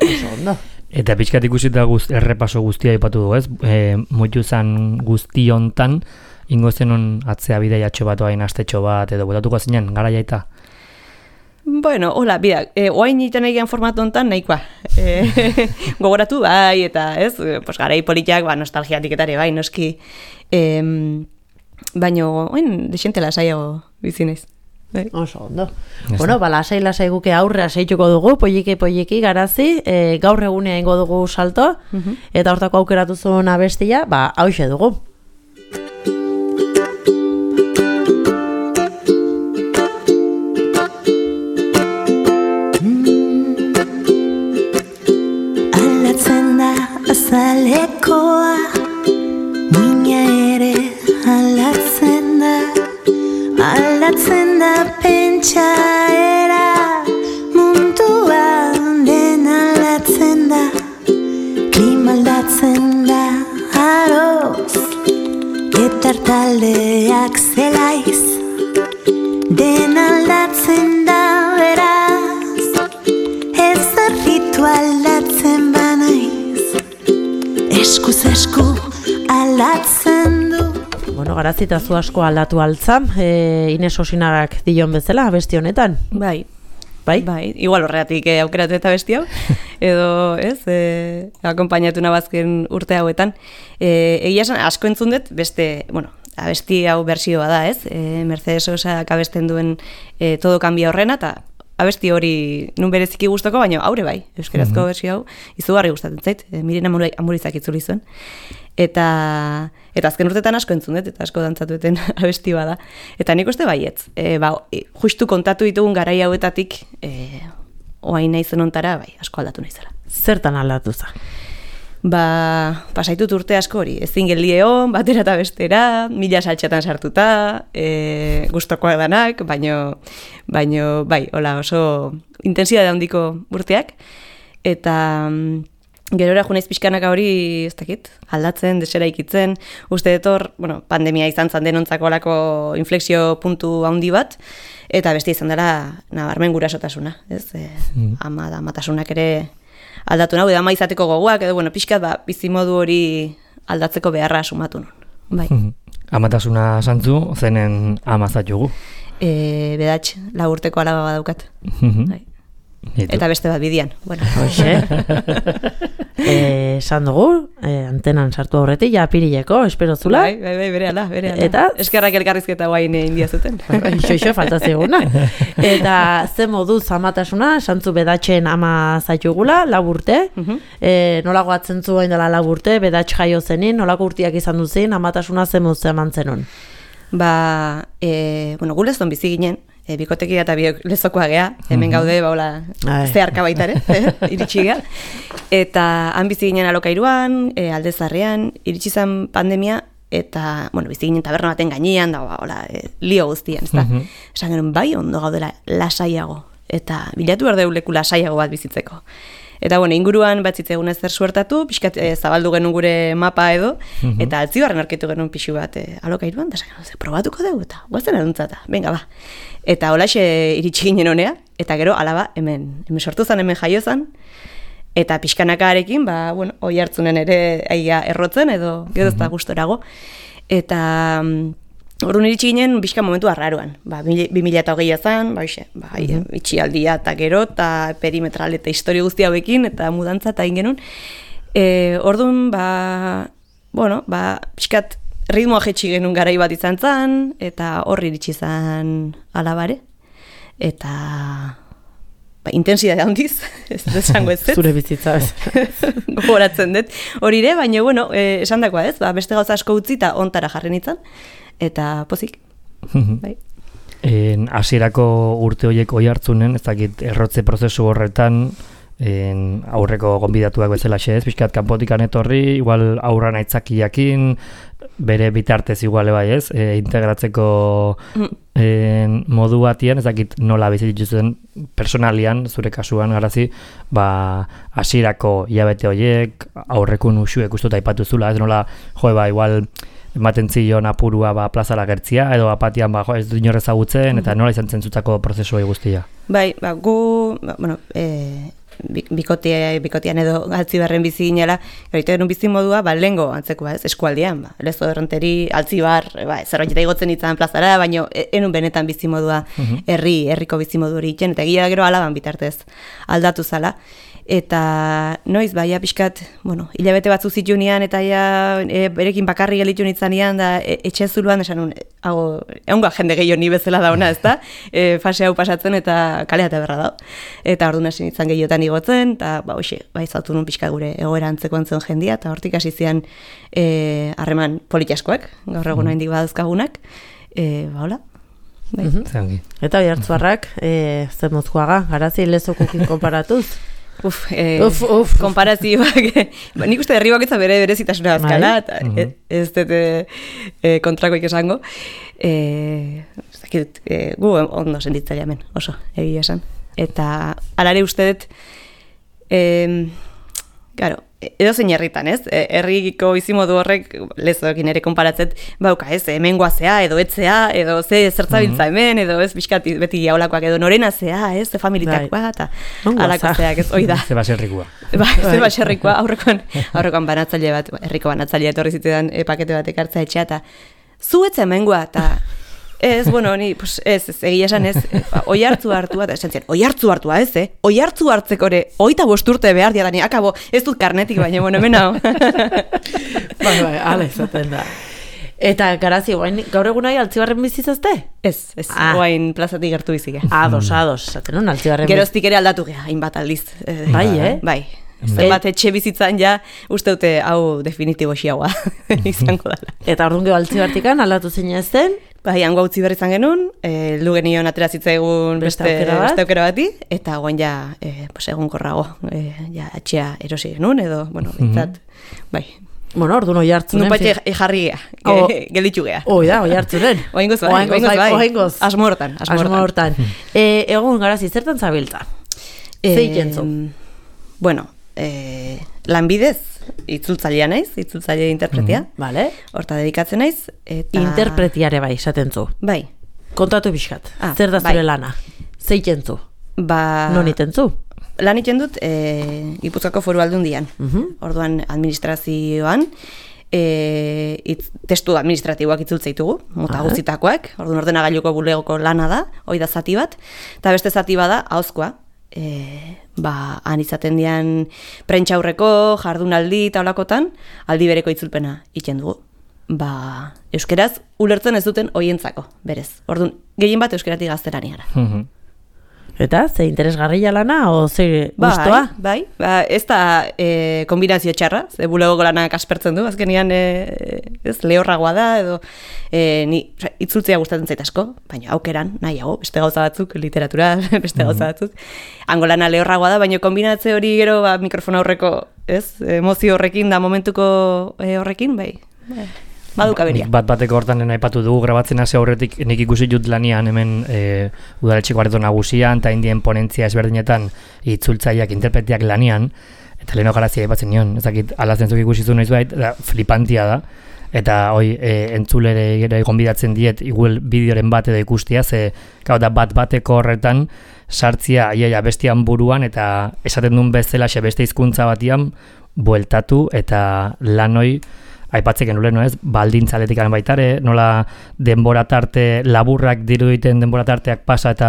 Oso ondo. Eta pixkat ikusita guz, errepaso guztia ipatu du, ez? E, Moitu zan guzti hontan, ingo zenon atzea bideiatxo bat oain astetxo bat, edo botatuko zinen, gara jaita? Bueno, hola, bida, e, oain iten egian formatu hontan nahikoa. E, gogoratu bai, eta ez, pues, garai politiak, ba, nostalgiatik etare bai, noski. E, baino, oain, desentela saiago bizinez. Bai. Oso ondo. Bueno, ba, lasai lasai guke aurrea seituko dugu, polliki polliki garazi, e, gaur egunea ingo dugu salto, uh-huh. eta hortako aukeratu zuen abestia, ba, hauxe dugu. Aldatzen da azalekoa, mina ere aldatzen da. Aldatzen da pentsaera, mundua den aldatzen da. Klima aldatzen da aroz, eta taldeak zelaiz. Den aldatzen da beraz, ez arritu aldatzen banaiz. Eskuz esku aldatzen du. Bueno, garazi eta zu asko aldatu altzam, e, Ines Osinarak dion bezala, abesti honetan. Bai. Bai? Bai, igual horregatik eh, aukeratu eta besti hau, edo, ez, eh, akompainatu nabazken urte hauetan. E, egia esan, asko entzun dut, beste, bueno, abesti hau bersioa da, ez? E, Mercedes Sosak abesten duen e, Todo Cambia horrena, eta abesti hori nun bereziki gustoko, baina aurre bai, euskerazko mm-hmm. bersio hau, izugarri gustatzen zait, e, Miren Amurizak itzuli zuen. Eta, eta azken urtetan asko entzun dut, eta asko dantzatueten abesti bada. Eta nik uste baietz, e, ba, justu kontatu ditugun garai hauetatik, e, oain naizen ontara, bai, asko aldatu naizela. Zertan aldatu za? Ba, pasaitut urte asko hori, ezin geldieon, batera eta bestera, mila saltxatan sartuta, e, gustokoak danak, baino, baino, bai, hola, oso intensidade handiko urteak, eta... gerora junaiz pixkanaka hori, ez dakit, aldatzen, desera ikitzen, uste etor, bueno, pandemia izan zan denontzako alako inflexio puntu handi bat, eta beste izan dela, nabarmen gurasotasuna, ez? E, mm. ama da, amatasunak ere aldatu nahu, edo ama izateko gogoak, edo, bueno, pixkat, ba, bizimodu hori aldatzeko beharra sumatu nun. Bai. Mm. Amatasuna santzu, zenen amazat jugu? E, bedatx, lau urteko alaba badaukat. Bai. Eta beste bat bidian. Bueno. Hoxe. Esan dugu, eh, antenan sartu aurretik, ja apirileko, espero zula. Bai, bai, bai, bere ala, bere ala. Eta? Eskerrak elkarrizketa guain india zuten. Ixo, ixo, faltaziguna. Eta ze moduz amatasuna, santzu bedatxen ama zaitugula, laburte. Uh -huh. e, nolako atzen zuen dela laburte, bedatx jaio zenin, nolako urtiak izan duzin, amatasuna ze moduz eman zenun. Ba, e, bueno, gu lezon bizi ginen, e, bikotekia eta biok lezokoa gea, hemen gaude, baula, zeharka baitare, eh, iritsi gea. Eta han bizi ginen alokairuan, e, aldezarrean, iritsi zen pandemia, eta, bueno, bizi ginen taberna baten gainean, da, baula, e, lio guztian, ez da. Uh -huh. Esan genuen, bai, ondo gaudela lasaiago, eta bilatu behar deu leku lasaiago bat bizitzeko. Eta, bueno, inguruan bat zitzegun ezer suertatu, pixkat e, zabaldu genuen gure mapa edo, uh-huh. eta altzibarren aurkitu genuen pixu bat e, alokairuan, eta esan, probatuko dugu, eta guazen eduntzata, venga, ba. Eta holaxe iritsi ginen honea, eta gero, alaba, hemen, hemen sortu zen, hemen jaio zen, eta pixkanakarekin, ba, bueno, oi hartzunen ere aia errotzen, edo gero ez da gustorago. Eta... Orduan iritsi ginen, bizka momentu arraruan. Ba, bi mila eta hogeia zen, ba, ixe, ba, mm-hmm. itxialdia eta gero, eta perimetral eta historia guzti hauekin, eta mudantza eta ingenun. E, orduan, ba, bueno, ba, bizkat ritmoa jetxi genuen garai bat izan zen, eta horri iritsi zen alabare. Eta... Ba, intensidade handiz, ez desango ez. Zure bizitza ez. Gogoratzen dut. Hori ere, baina, bueno, eh, esan dakoa ez, ba, beste gauza asko utzi eta ontara jarri nintzen. Eta pozik. Bai. En hasierako urte horiek oi hartzunen, ez dakit errotze prozesu horretan, en aurreko gonbidatuak bezala xez, pixkat kanpotikan etorri, igual aurran aitzakiakin, bere bitartez iguale bai ez, e, integratzeko en, modu batian, ez dakit nola bizitzuzen personalian, zure kasuan garazi, ba, hasierako hilabete horiek, aurrekun usuek ustuta aipatu zula, ez nola, jo, ba, igual, ematen zion apurua ba, plazara gertzia, edo apatian ba, jo, ez du inorrez agutzen, eta nola izan zentzutako prozesuai guztia? Bai, ba, gu, ba, bueno, e, bikotea, bikotean edo altzibarren bizi ginela, gaita genuen bizi modua, ba, lehengo antzeko, ba, ez, eskualdean, ba, lezo erronteri, altzibar, ba, zerbait igotzen itzan plazara, baina enun benetan bizi modua, herri, herriko bizi modu hori itzen, eta gila gero alaban bitartez aldatu zala. Eta noiz, ba, ja pixkat, bueno, hilabete batzu zitunean, eta ja e, berekin bakarri gelitu nintzanean, da e, etxe zuluan, esan un, hau, egunga jende gehiago ni bezala dauna, ez da? E, fase hau pasatzen eta kalea eta berra da. Eta orduan hasi nintzen gehiotan igotzen, eta ba, hoxe, ba, izaltu nun pixka gure egoera antzeko antzen jendia, eta hortik hasi zian e, harreman politaskoak, gaur egun mm. handik badazkagunak, e, ba, hola. Bai. Mm-hmm. Eta oi hartzuarrak, e, zer mozkoaga, garazi lezokukin konparatuz? Uf, eh, uf, uf, konparazioak, ba, nik uste herri baketza bere berezitasuna azkala, eta mm-hmm. ez dut e, kontrakoik esango. E, zakit, e, gu ondo sentitzea hemen, oso, egia esan. Eta alare uste dut, e, claro, edo zein herritan, ez? Herriko bizimodu horrek lezoekin ere konparatzet, bauka, ez? Hemen guazea, edo etzea, edo ze zertzabiltza hemen, edo ez bizkat beti jaulakoak, edo norena zea, ez? Ze familitakoa, eta alako zeak, ez? Oida. Ze baserrikoa. Ba, ze baserrikoa, aurrekoan, aurrekoan banatzaile bat, herriko banatzaile etorri zitean e, pakete bat ekartza etxea, eta zu etze hemengoa, eta ez, bueno, ni, pues, ez, ez, egia esan ez, oi hartzu hartua, eta esan zian, oi hartzu hartua ez, eh? Oi hartzu hartzeko ere, oita bosturte behar diadani, akabo, ez dut karnetik baina, bueno, hemen hau. Bai, bai, ala izaten da. Eta, garazi, guain, gaur egun nahi altzibarren bizizazte? Ez, ez, ah. guain plazatik gertu bizike. Ados, ados, zaten hon altzibarren biziz. Geroztik ere aldatu geha, hainbat aldiz. Eh, bai, eh? Bai. Zenbat etxe bizitzan ja, uste dute hau definitibo xiagoa izango dela. Eta orduan geho altzibartikan aldatu zein ez zen? Bai, hango utzi berri izan genuen, e, lu genion atera zitzaigun beste, beste, aukera, bat. beste aukera bati, eta guain ja, e, pues, egun korrago, e, ja, atxea erosi genuen, edo, bueno, bintzat, mm-hmm. bai. Bueno, orduan oi hartzunen. Nupatxe jarri gea, gelditu gea. Oi da, oi hartzunen. Oingoz bai, oingoz bai. Oingoz. Asmo hortan, asmo hortan. e, egun garazi, zertan zabiltza? E, Zei jentzu? Bueno, e, lanbidez, itzultzailea naiz, itzultzaile interpretia. Mm-hmm. Vale. Horta dedikatzen naiz. Eta... Interpretiare bai, esaten zu. Bai. Kontatu pixkat, ah, zer da zure bai. lana? Zeiten zu? Ba... Non iten zu? Lan iten dut e, Gipuzkoako Foru Aldundian. Mm-hmm. Orduan administrazioan, e, itz, testu administratiboak itzultza ditugu, mota guztitakoak. Orduan ordenagailuko bulegoko lana da, hoi da zati bat. Eta beste zati bada, ahozkoa. E, ba, han izaten dian prentxaurreko, jardunaldi eta olakotan, aldi bereko itzulpena iten dugu. Ba, euskeraz ulertzen ez duten hoientzako, berez. Orduan, gehien bat euskeratik gaztelani gara. Mhm. Eta, ze interesgarria lana, o ze gustoa? Bai, bai, ba, ez da e, kombinazio txarra, ze bulegoko lanak aspertzen du, azkenian e, ez, lehorragoa da, edo e, ni, itzultzea gustatzen zait asko, baina aukeran, nahiago, beste gauza batzuk, literatura, beste gauza batzuk. Hango lana lehorragoa da, baina kombinatze hori gero ba, mikrofona horreko, ez, emozio horrekin da momentuko e, horrekin, bai, bai. Baduka beria. Bat bateko hortan aipatu dugu grabatzen hasi aurretik nik ikusi dut lanian hemen e, udaletxeko areto nagusian eta indien ponentzia ezberdinetan itzultzaileak, interpretiak lanian eta leheno garazia aipatzen nion, ez dakit alazentzuk ikusi zu noiz bait, da, flipantia da eta hoi e, entzulere ere gonbidatzen diet igual bideoren bat edo ikustia, ze gau da bat bateko horretan sartzia iaia bestian buruan eta esaten duen bezala xe beste hizkuntza batian bueltatu eta lanoi aipatzeken uleno ez, baldintzaletik baitare, nola denbora tarte laburrak diruditen denbora tarteak pasa eta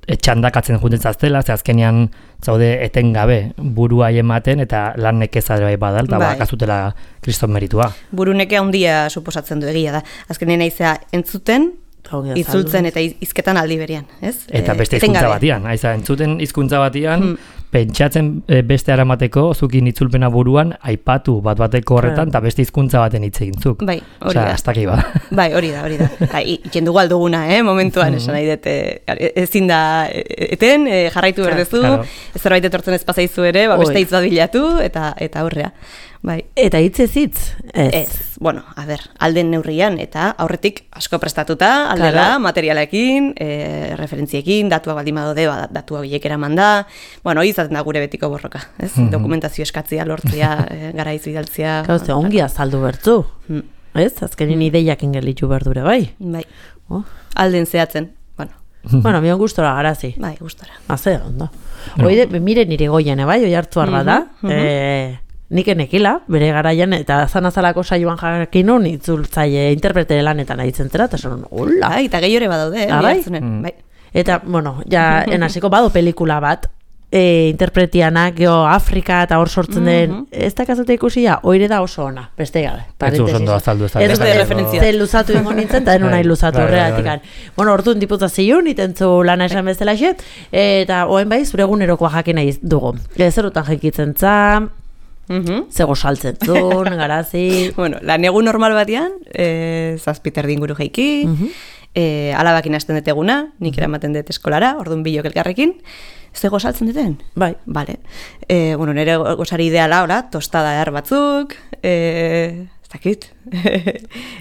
txandakatzen juntzen zaztela, ze azkenean zaude etengabe burua ematen eta lan nekeza bai badal, eta bai. bakazutela kriston meritua. Buru neke handia suposatzen du egia da. Azkenean naizea entzuten, itzultzen eta hizketan aldi berian, ez? Eta beste hizkuntza batian, aiza, entzuten hizkuntza batian, hmm. pentsatzen e, beste aramateko, zukin itzulpena buruan, aipatu bat bateko horretan, eta beste hizkuntza baten hitz egintzuk. Bai, hori da. Aztaki ba. Bai, hori da, hori da. Iken dugu alduguna, eh, momentuan, esan nahi dut, ezin da eten, e, jarraitu berdezu, claro. Zerbait etortzen ez pasaizu ere, ba, beste hitz bat bilatu, eta, eta aurrea. Bai. Eta hitz ez hitz? Ez. Ez. Bueno, a ber, alden neurrian, eta aurretik asko prestatuta, aldela, claro. Materialekin, e, referentziekin, datuak baldin badaude, ba, datuak bilek eraman da, bueno, hori izaten da gure betiko borroka, ez? Mm-hmm. Dokumentazio eskatzia, lortzia, e, garaiz bidaltzia. Gauze, ongi azaldu bertzu, mm. ez? Azkenin ideiak ingelitu berdure, bai? Bai, oh. Alden zehatzen, bueno. Bueno, mion gustora garazi. Bai, gustora. Haze, ondo. No. Oide, mire nire goian, bai, oi hartu arba da, mm-hmm. e, nik enekila, bere garaian, eta zanazalako saioan jakin nun, itzultzaile interprete lanetan ahitzen zera, eta zonon, hola. Bai, eta gehiore badaude, eh, bai? Mm. Bai. Eta, bueno, ja, enasiko bado pelikula bat, e, interpretianak, geho, Afrika eta hor sortzen den, mm -hmm. ez da kazute ikusia, oire da oso ona, beste gabe. Ez zu ondo azaldu, ez da. Ez dute referentzia. Zer luzatu ingo nintzen, eta enun nahi luzatu horregatik. Bueno, orduan diputazioan, itentzu lana esan bezala xe, eta oen bai, zure egunerokoa jakin nahi dugu. Zerutan jakitzen za, Mm-hmm. Zego saltzen zuen, garazi. Bueno, lan egun normal batean, e, zazpiter dinguru jaiki, mm-hmm. e, alabakin hasten dut eguna, nik eramaten dut eskolara, orduan bilok elkarrekin. Zego saltzen duten? Bai. Vale. E, bueno, nire gozari ideala, ora, tostada er batzuk, e, ez dakit,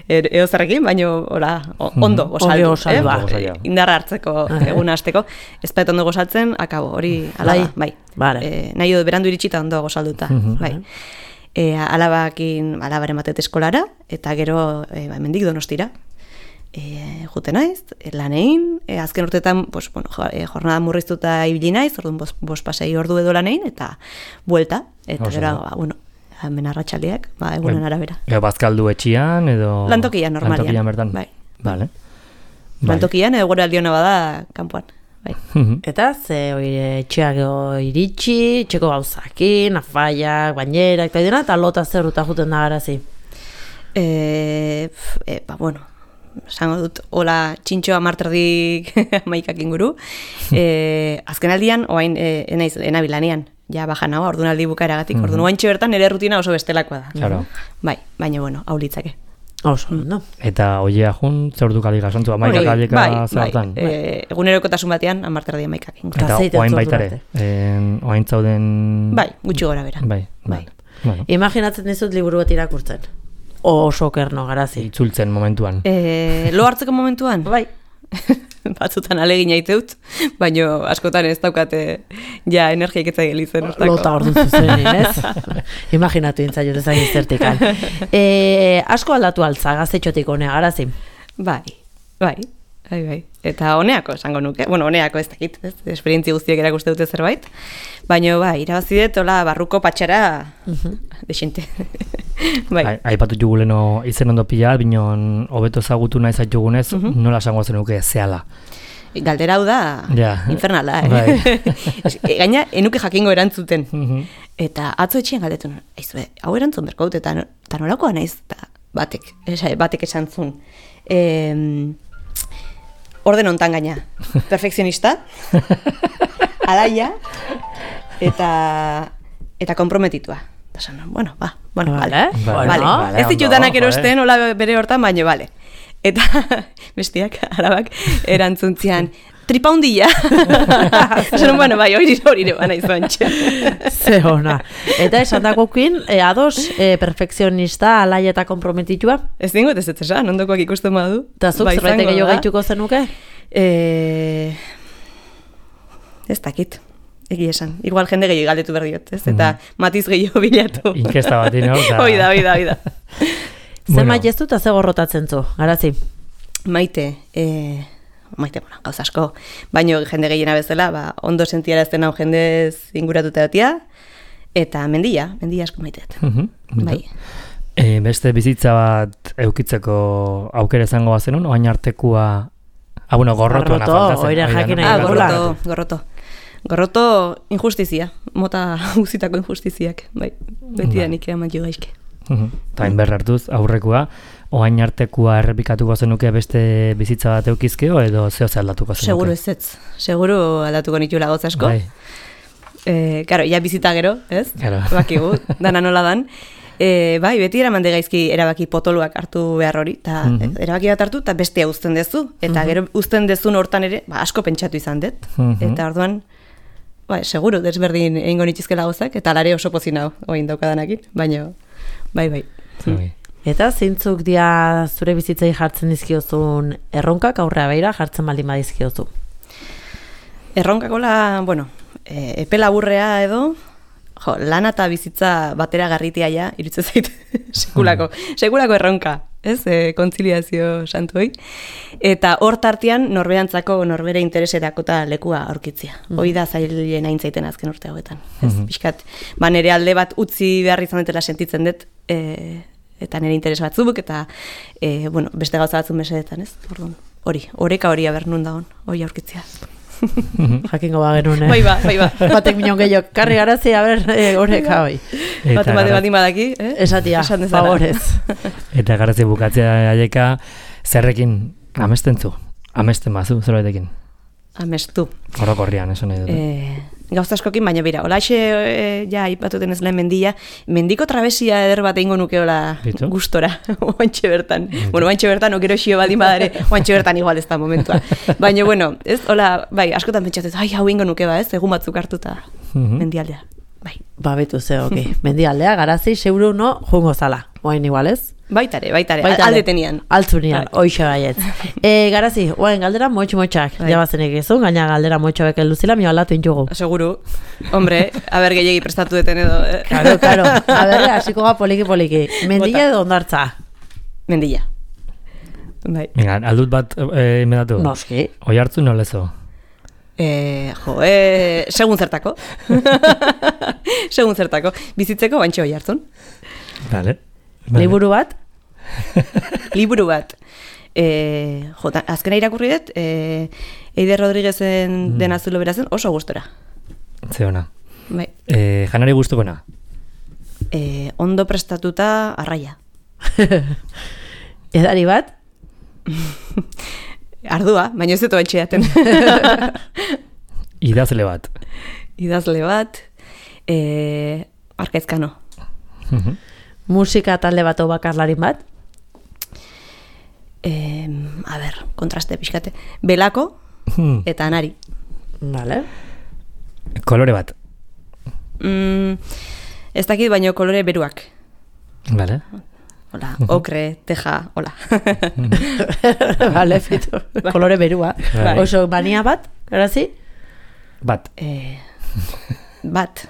eo zerrekin, baina, ora, ondo gozaldu. Ondo gozaldu, eh? Indarra hartzeko eguna hasteko. Ez bait ondo gozaltzen, akabo, hori alaba, bai. Vale. E, nahi du berandu iritsita ondo gozalduta, mm-hmm. bai. E, alabakin, alabaren batet eskolara, eta gero, e, ba, mendik Donostira. E, jute naiz, lanein, e, azken urteetan, pues, bueno, jornada murriztuta ibili naiz, orduan bos, bos pasei ordu edo lanein, eta buelta, eta gero, ba, bueno, hemen arratsaldeak, ba, egunen arabera. Ego bazkaldu etxian, edo... Lantokian, normalian. Lantokian bertan? Bai. Vale. Lantokian, edo gure aldiona bada, kanpoan. Bai. Eta ze oire etxeak iritsi, txeko gauzakin, afaiak, bainerak, eta dena, eta lota zerruta juten da garazi? E, e, ba, bueno, esango dut, hola txintxoa marterdik maikak inguru. E, azken aldian, oain, e, enaiz, enabilanean, ja bajan hau, orduan aldi bukaeragatik, mm-hmm. orduan oaintxe bertan nire rutina oso bestelakoa da. Claro. Bai, baina, bueno, hau litzake. Oso, no? Eta oiea jun, zer ordu kalika, santu, amaika kalika bai, zertan? Bai, e, egunerokotasun batean, amarterdia maikak inguru. Eta oain baitare, oain zauden... Bai, gutxi gora bera. Bai, bai. Bueno. Imaginatzen dizut liburu bat irakurtzen. Oso kerno, garazi. Itzultzen momentuan. E, lo hartzeko momentuan? Bai. batzutan alegina iteut, baino askotan ez daukate ja energiak etzai gelitzen. Lota ordu zuzenin, ez? Imaginatu intzaiot ezagin zertikan. E, asko aldatu altza, gaztetxotik honea, garazi? Bai, bai, bai, bai. Eta honeako esango nuke, bueno, honeako ez dakit, ez? Esperientzi guztiak erakuste dute zerbait, baino bai, irabazi dut, hola, barruko patxara, uh-huh. Desente. Bai. Aipatu juguleno izen ondo pila, binon hobeto ezagutu nahi zaitugunez, uh-huh. Nola esango zenuke zehala? Galdera hau da, ja. Infernala, eh? Bai. Gaina, enuke jakingo erantzuten. Uh-huh. Eta atzo etxean galdetu, aizue, hau erantzun berko dut, eta nolakoa naiz, eta batek, batek esan zuen. E, orden ontan gaina, perfekzionista, alaia, eta, eta komprometitua. Esan, bueno, ba, bueno, vale, vale, vale. vale. Ez ditutanak erosten, hola bere hortan, baino, vale. Eta bestiak, arabak, erantzuntzian, tripa hundilla. Esan, bueno, bai, hori hori ere bana izan txe. Ze hona. Eta esan dakokin, e, ados, e, perfekzionista, alai eta komprometitua? Ez dingot ez ez esan, ondokoak ikusten badu. Eta zuk zerbaitek gehiago gaituko zenuke? E, ez dakit. Egi esan. Igual jende gehiago galdetu berdiot, ez? Eta mm. matiz gehiago bilatu. Inkesta bat, ino? Hoi da, hoi da, hoi da. Zer maite ez dut, ze gorrotatzen zu, garazi? Maite, e, maite, bueno, gauz asko, baino jende gehiena bezala, ba, ondo sentiarazten hau jendez inguratuta datia, eta mendia, mendia asko maiteet. Mm-hmm. Bai. E, beste bizitza bat eukitzeko aukera izango bazenun, oain artekua, ah, bueno, gorrotu. Gorroto, oire jakin nahi. Ah, gorroto, gorroto. Gorroto injustizia, mota guzitako injustiziak, bai, beti da nik eman jo gaizke. Eta hain berra hartuz, aurrekoa, oain artekua errepikatuko zenuke beste bizitza bat eukizkeo, edo zeo ze aldatuko zenuke? Seguro ez ez, seguro aldatuko nitula gauz asko. Bai. E, karo, ja bizita gero, ez? Claro. Bakigu, dana nola dan. E, bai, beti eraman gaizki erabaki potoluak hartu behar hori, eta mm-hmm. erabaki bat hartu, eta bestea uzten dezu, eta mm-hmm. gero uzten dezun hortan ere, ba, asko pentsatu izan dut, mm-hmm. eta orduan, ba, seguro, desberdin egingo nitizkela gauzak, eta alare oso pozin hau, oin daukadanakin, baina, bai, bai. bai. Eta zeintzuk dia zure bizitzei jartzen dizkiozun erronkak aurrea beira jartzen baldin badizkiozu? Erronkakola, bueno, e, epe laburrea edo, jo, lana eta bizitza batera garritia ja, irutzen zait, sekulako, sekulako erronka, ez, e, kontziliazio santuoi. Eta hor tartean norberantzako norbere interesetako eta lekua aurkitzia. Mm. Hoi da zailen aintzaiten azken urte hauetan. Ez, mm-hmm. Piskat, ba nere alde bat utzi behar izan dutela sentitzen dut, e, eta nire interes batzuk, eta e, bueno, beste gauza batzun mesedetan, ez? Orduan, hori, oreka hori aber nun dagoen, hori aurkitzia. Jakingo ba genuen, eh? Bai ba, bai ba. Batek minon gehiago, karri garazi, a ber, e, oreka hoi. Bate bate bat imadaki, eh? Esatia, favorez. Eta garazi bukatzea aieka, zerrekin amesten zu? Amesten bazu, zerbaitekin? Amestu. Orokorrian, eso nahi dut. Eh, gauza askokin, baina bira, olaxe, e, ja, ipatuten ez lehen mendia, mendiko trabesia eder bat egingo nukeola gustora, oantxe bertan. Bitu. Bueno, oantxe bertan, okero xio baldin badare, oantxe bertan igual ez da momentua. Baina, bueno, ez, hola, bai, askotan pentsatuz, ai, hau egingo nuke ba, ez, egun batzuk hartuta, mm-hmm. mendialdea. Bai. Ba, betu ze, ok. Mendialdea, garazi, seuru no, jungo zala. Oain igual, ez? Baitare, baitare, baitare. Alde tenian. Altzunian, bai. Oixe baiet. e, garazi, oain galdera motx-motxak, bai. Jabazenek izun, gaina galdera motxo beken luzila, mi aldatu intugu. Seguru, hombre, haber gehiagi prestatu deten edo. Eh? Karo, karo, haber, hasiko ga poliki-poliki. Mendilla edo ondartza? Mendilla. Bai. Venga, aldut bat eh, inmedatu? Noski. Oi hartzu nolezo? Eh, jo, eh, segun zertako. Segun zertako. Bizitzeko bantxe hoi hartzun. Vale. Vale. Liburu bat? Liburu bat. Eh, jo, azkena irakurri dut, eh, Eider Rodriguezen mm. Den azulo berazen oso gustora. Ze ona. Bai. Eh, janari gustukona? Eh, ondo prestatuta arraia. Edari bat? Ardua, baina ez dut etxeaten. Idazle bat? Idazle bat, eh, Arkaizkano. Uh-huh. Musika talde bat o bakarlarin bat? Eh, a ber, kontraste pixkate. Belako eta Anari. Vale. Kolore bat? Mm, ez dakit, baino kolore beruak. Vale. hola, okre, teja, hola. Vale, fito, kolore berua. Bai. Oso mania bat, garazi? Bat. Eh, bat.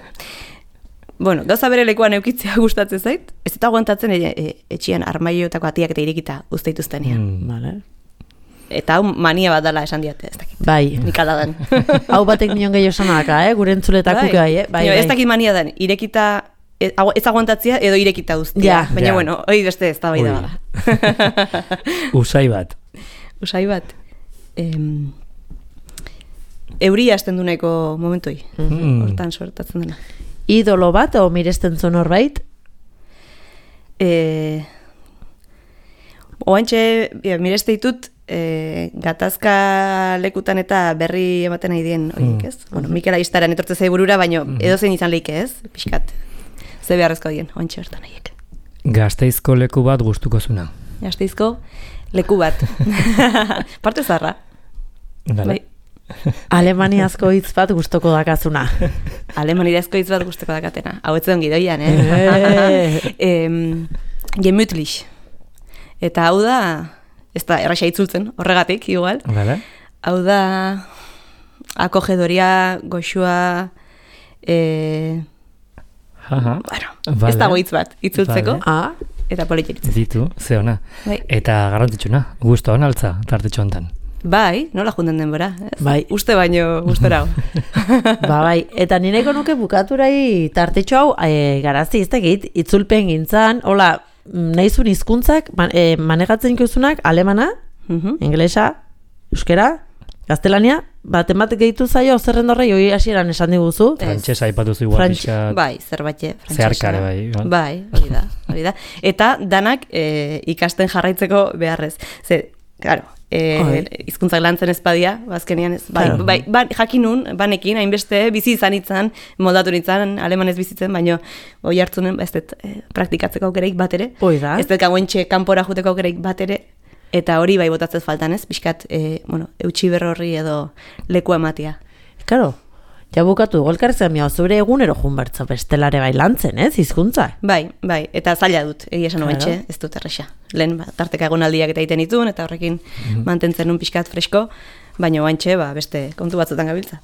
Bueno, gauza bere lekuan eukitzea gustatzen zait, ez eta aguantatzen e, e, etxian armaioetako atiak eta irekita uzteituztenean. Mm. Vale. Eta hau mania bat dela esan diate, ez dakit. Bai. Nik ala dan. Hau batek nion gehiago sanaka, eh? Gure entzuletakuk bai, eh? Bai, Jo, ez bai. dakit mania dan, irekita, ez, agu- ez aguantatzia edo irekita uztia. Ja. Baina, Ja. bueno, hori beste ez da bai da Ui. bada. Usai bat. Usai bat. Em, euria hasten du nahiko momentoi. Mm. Hortan sortatzen dena. Idolo bat, o miresten zuen horbait? E, Oantxe, ja, mireste ditut, e, gatazka lekutan eta berri ematen nahi dien horiek, ez? Bueno, Mikel Aistaren etortze zai burura, baino edozein izan leike, ez? Pixkat, ze beharrezko dien, oantxe bertan nahiek. Gasteizko leku bat gustuko zuna. Gasteizko leku bat. Parte zarra. Vale. Bai. Alemaniazko hitz bat gustoko dakazuna. Alemanirazko hitz bat gusteko dakatena. Hau ez ongi doian, eh? em, Gemütlich. Eta hau da, ez da erraxa itzultzen, horregatik, igual. Vale. Hau da, akogedoria, goxua, e, Jaja. bueno, Vale. ez dago hitz bat, itzultzeko, Vale. Ah, eta politxeritz. Ditu, ze ona. Bai. Eta garrantzitsuna, gusto hon altza, tartetxo hontan. Bai, nola junden denbora. Ez? Bai. Uste baino gustora. ba bai, eta nireko nuke bukaturai tartetxo hau e, garazi iztegit, itzulpen gintzan, hola, nahizun hizkuntzak man, e, manegatzen ikusunak alemana, Mhm. ingelesa, euskera, gaztelania, baten bat gehitu zaio zerrendorrei hori hasieran esan diguzu. Ez. Frantsesa aipatuzu igual Frantx- pixka. Bai, zerbait, frantsesa. Zeharkare bai, igual. Bai, hori da, hori da. Eta danak e, ikasten jarraitzeko beharrez. Ze, claro, Bai. e, hizkuntzak lantzen ezpadia, bazkenean ez, bai, Claro. bai, bai, jakinun, banekin, hainbeste, bizi izan itzan, moldatu nitzan, alemanez bizitzen, baino, oi hartzunen, ez dut, e, praktikatzeko aukereik bat ere. Hoi da. Ez dut gauentxe kanpora juteko aukereik bat ere, eta hori bai botatzez faltan ez, pixkat, e, bueno, eutxi berro horri edo leku ematia. Karo, ja bukatu dugu elkarrezen miau, zure egunero jun bertza bestelare bai lantzen, ez, hizkuntza. Bai, bai, eta zaila dut, egia esan Claro. claro. ez dut erresa. Lehen, ba, tarteka egonaldiak eta egiten ditun, eta horrekin mantentzen un pixkat fresko, baina oantxe, ba, beste kontu batzutan gabiltza.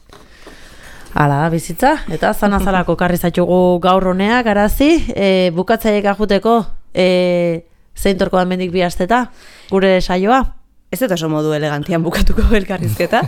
Hala da bizitza, eta zanazalako karri zaitugu gaur honea, garazi, e, bukatzaiek ajuteko, e, zein torko da mendik bi asteta, gure saioa. Ez dut oso modu elegantian bukatuko elkarrizketa.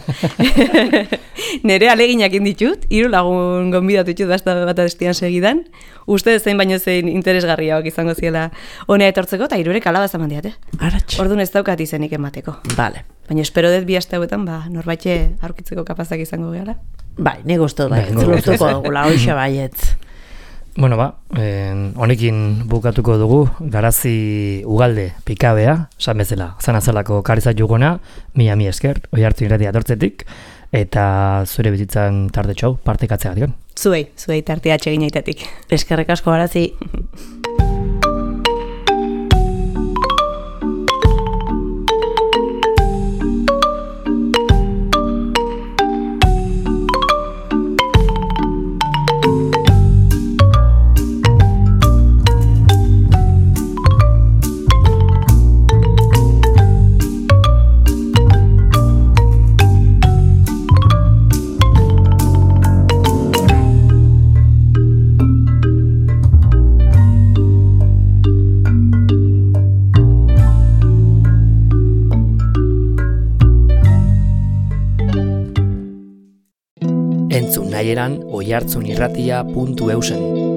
Nere aleginak inditut, hiru lagun gonbidatu ditut basta bat estian segidan. Uste zein baino zein interesgarriak izango ziela honea etortzeko, eta hirurek alabaz eman diate. Aratx. Orduan ez daukat izenik emateko. Vale. Baina espero dut bi aste hauetan, ba, norbaite aurkitzeko kapazak izango gehala. Bai, nik uste dut bai, Bai, nik lortuko dugula, hoxe baietz. Bueno, ba, eh, honekin bukatuko dugu, garazi ugalde pikabea, esan bezala, zanazalako karizat jugona, mila mi esker, oi hartu irratia dortzetik, eta zure bizitzan tardetxo hau partekatzeagatik. Zuei, zuei tartea atsegin aitatik. Eskerrik asko garazi. Entzun nahieran oihartzunirratia puntu eusen.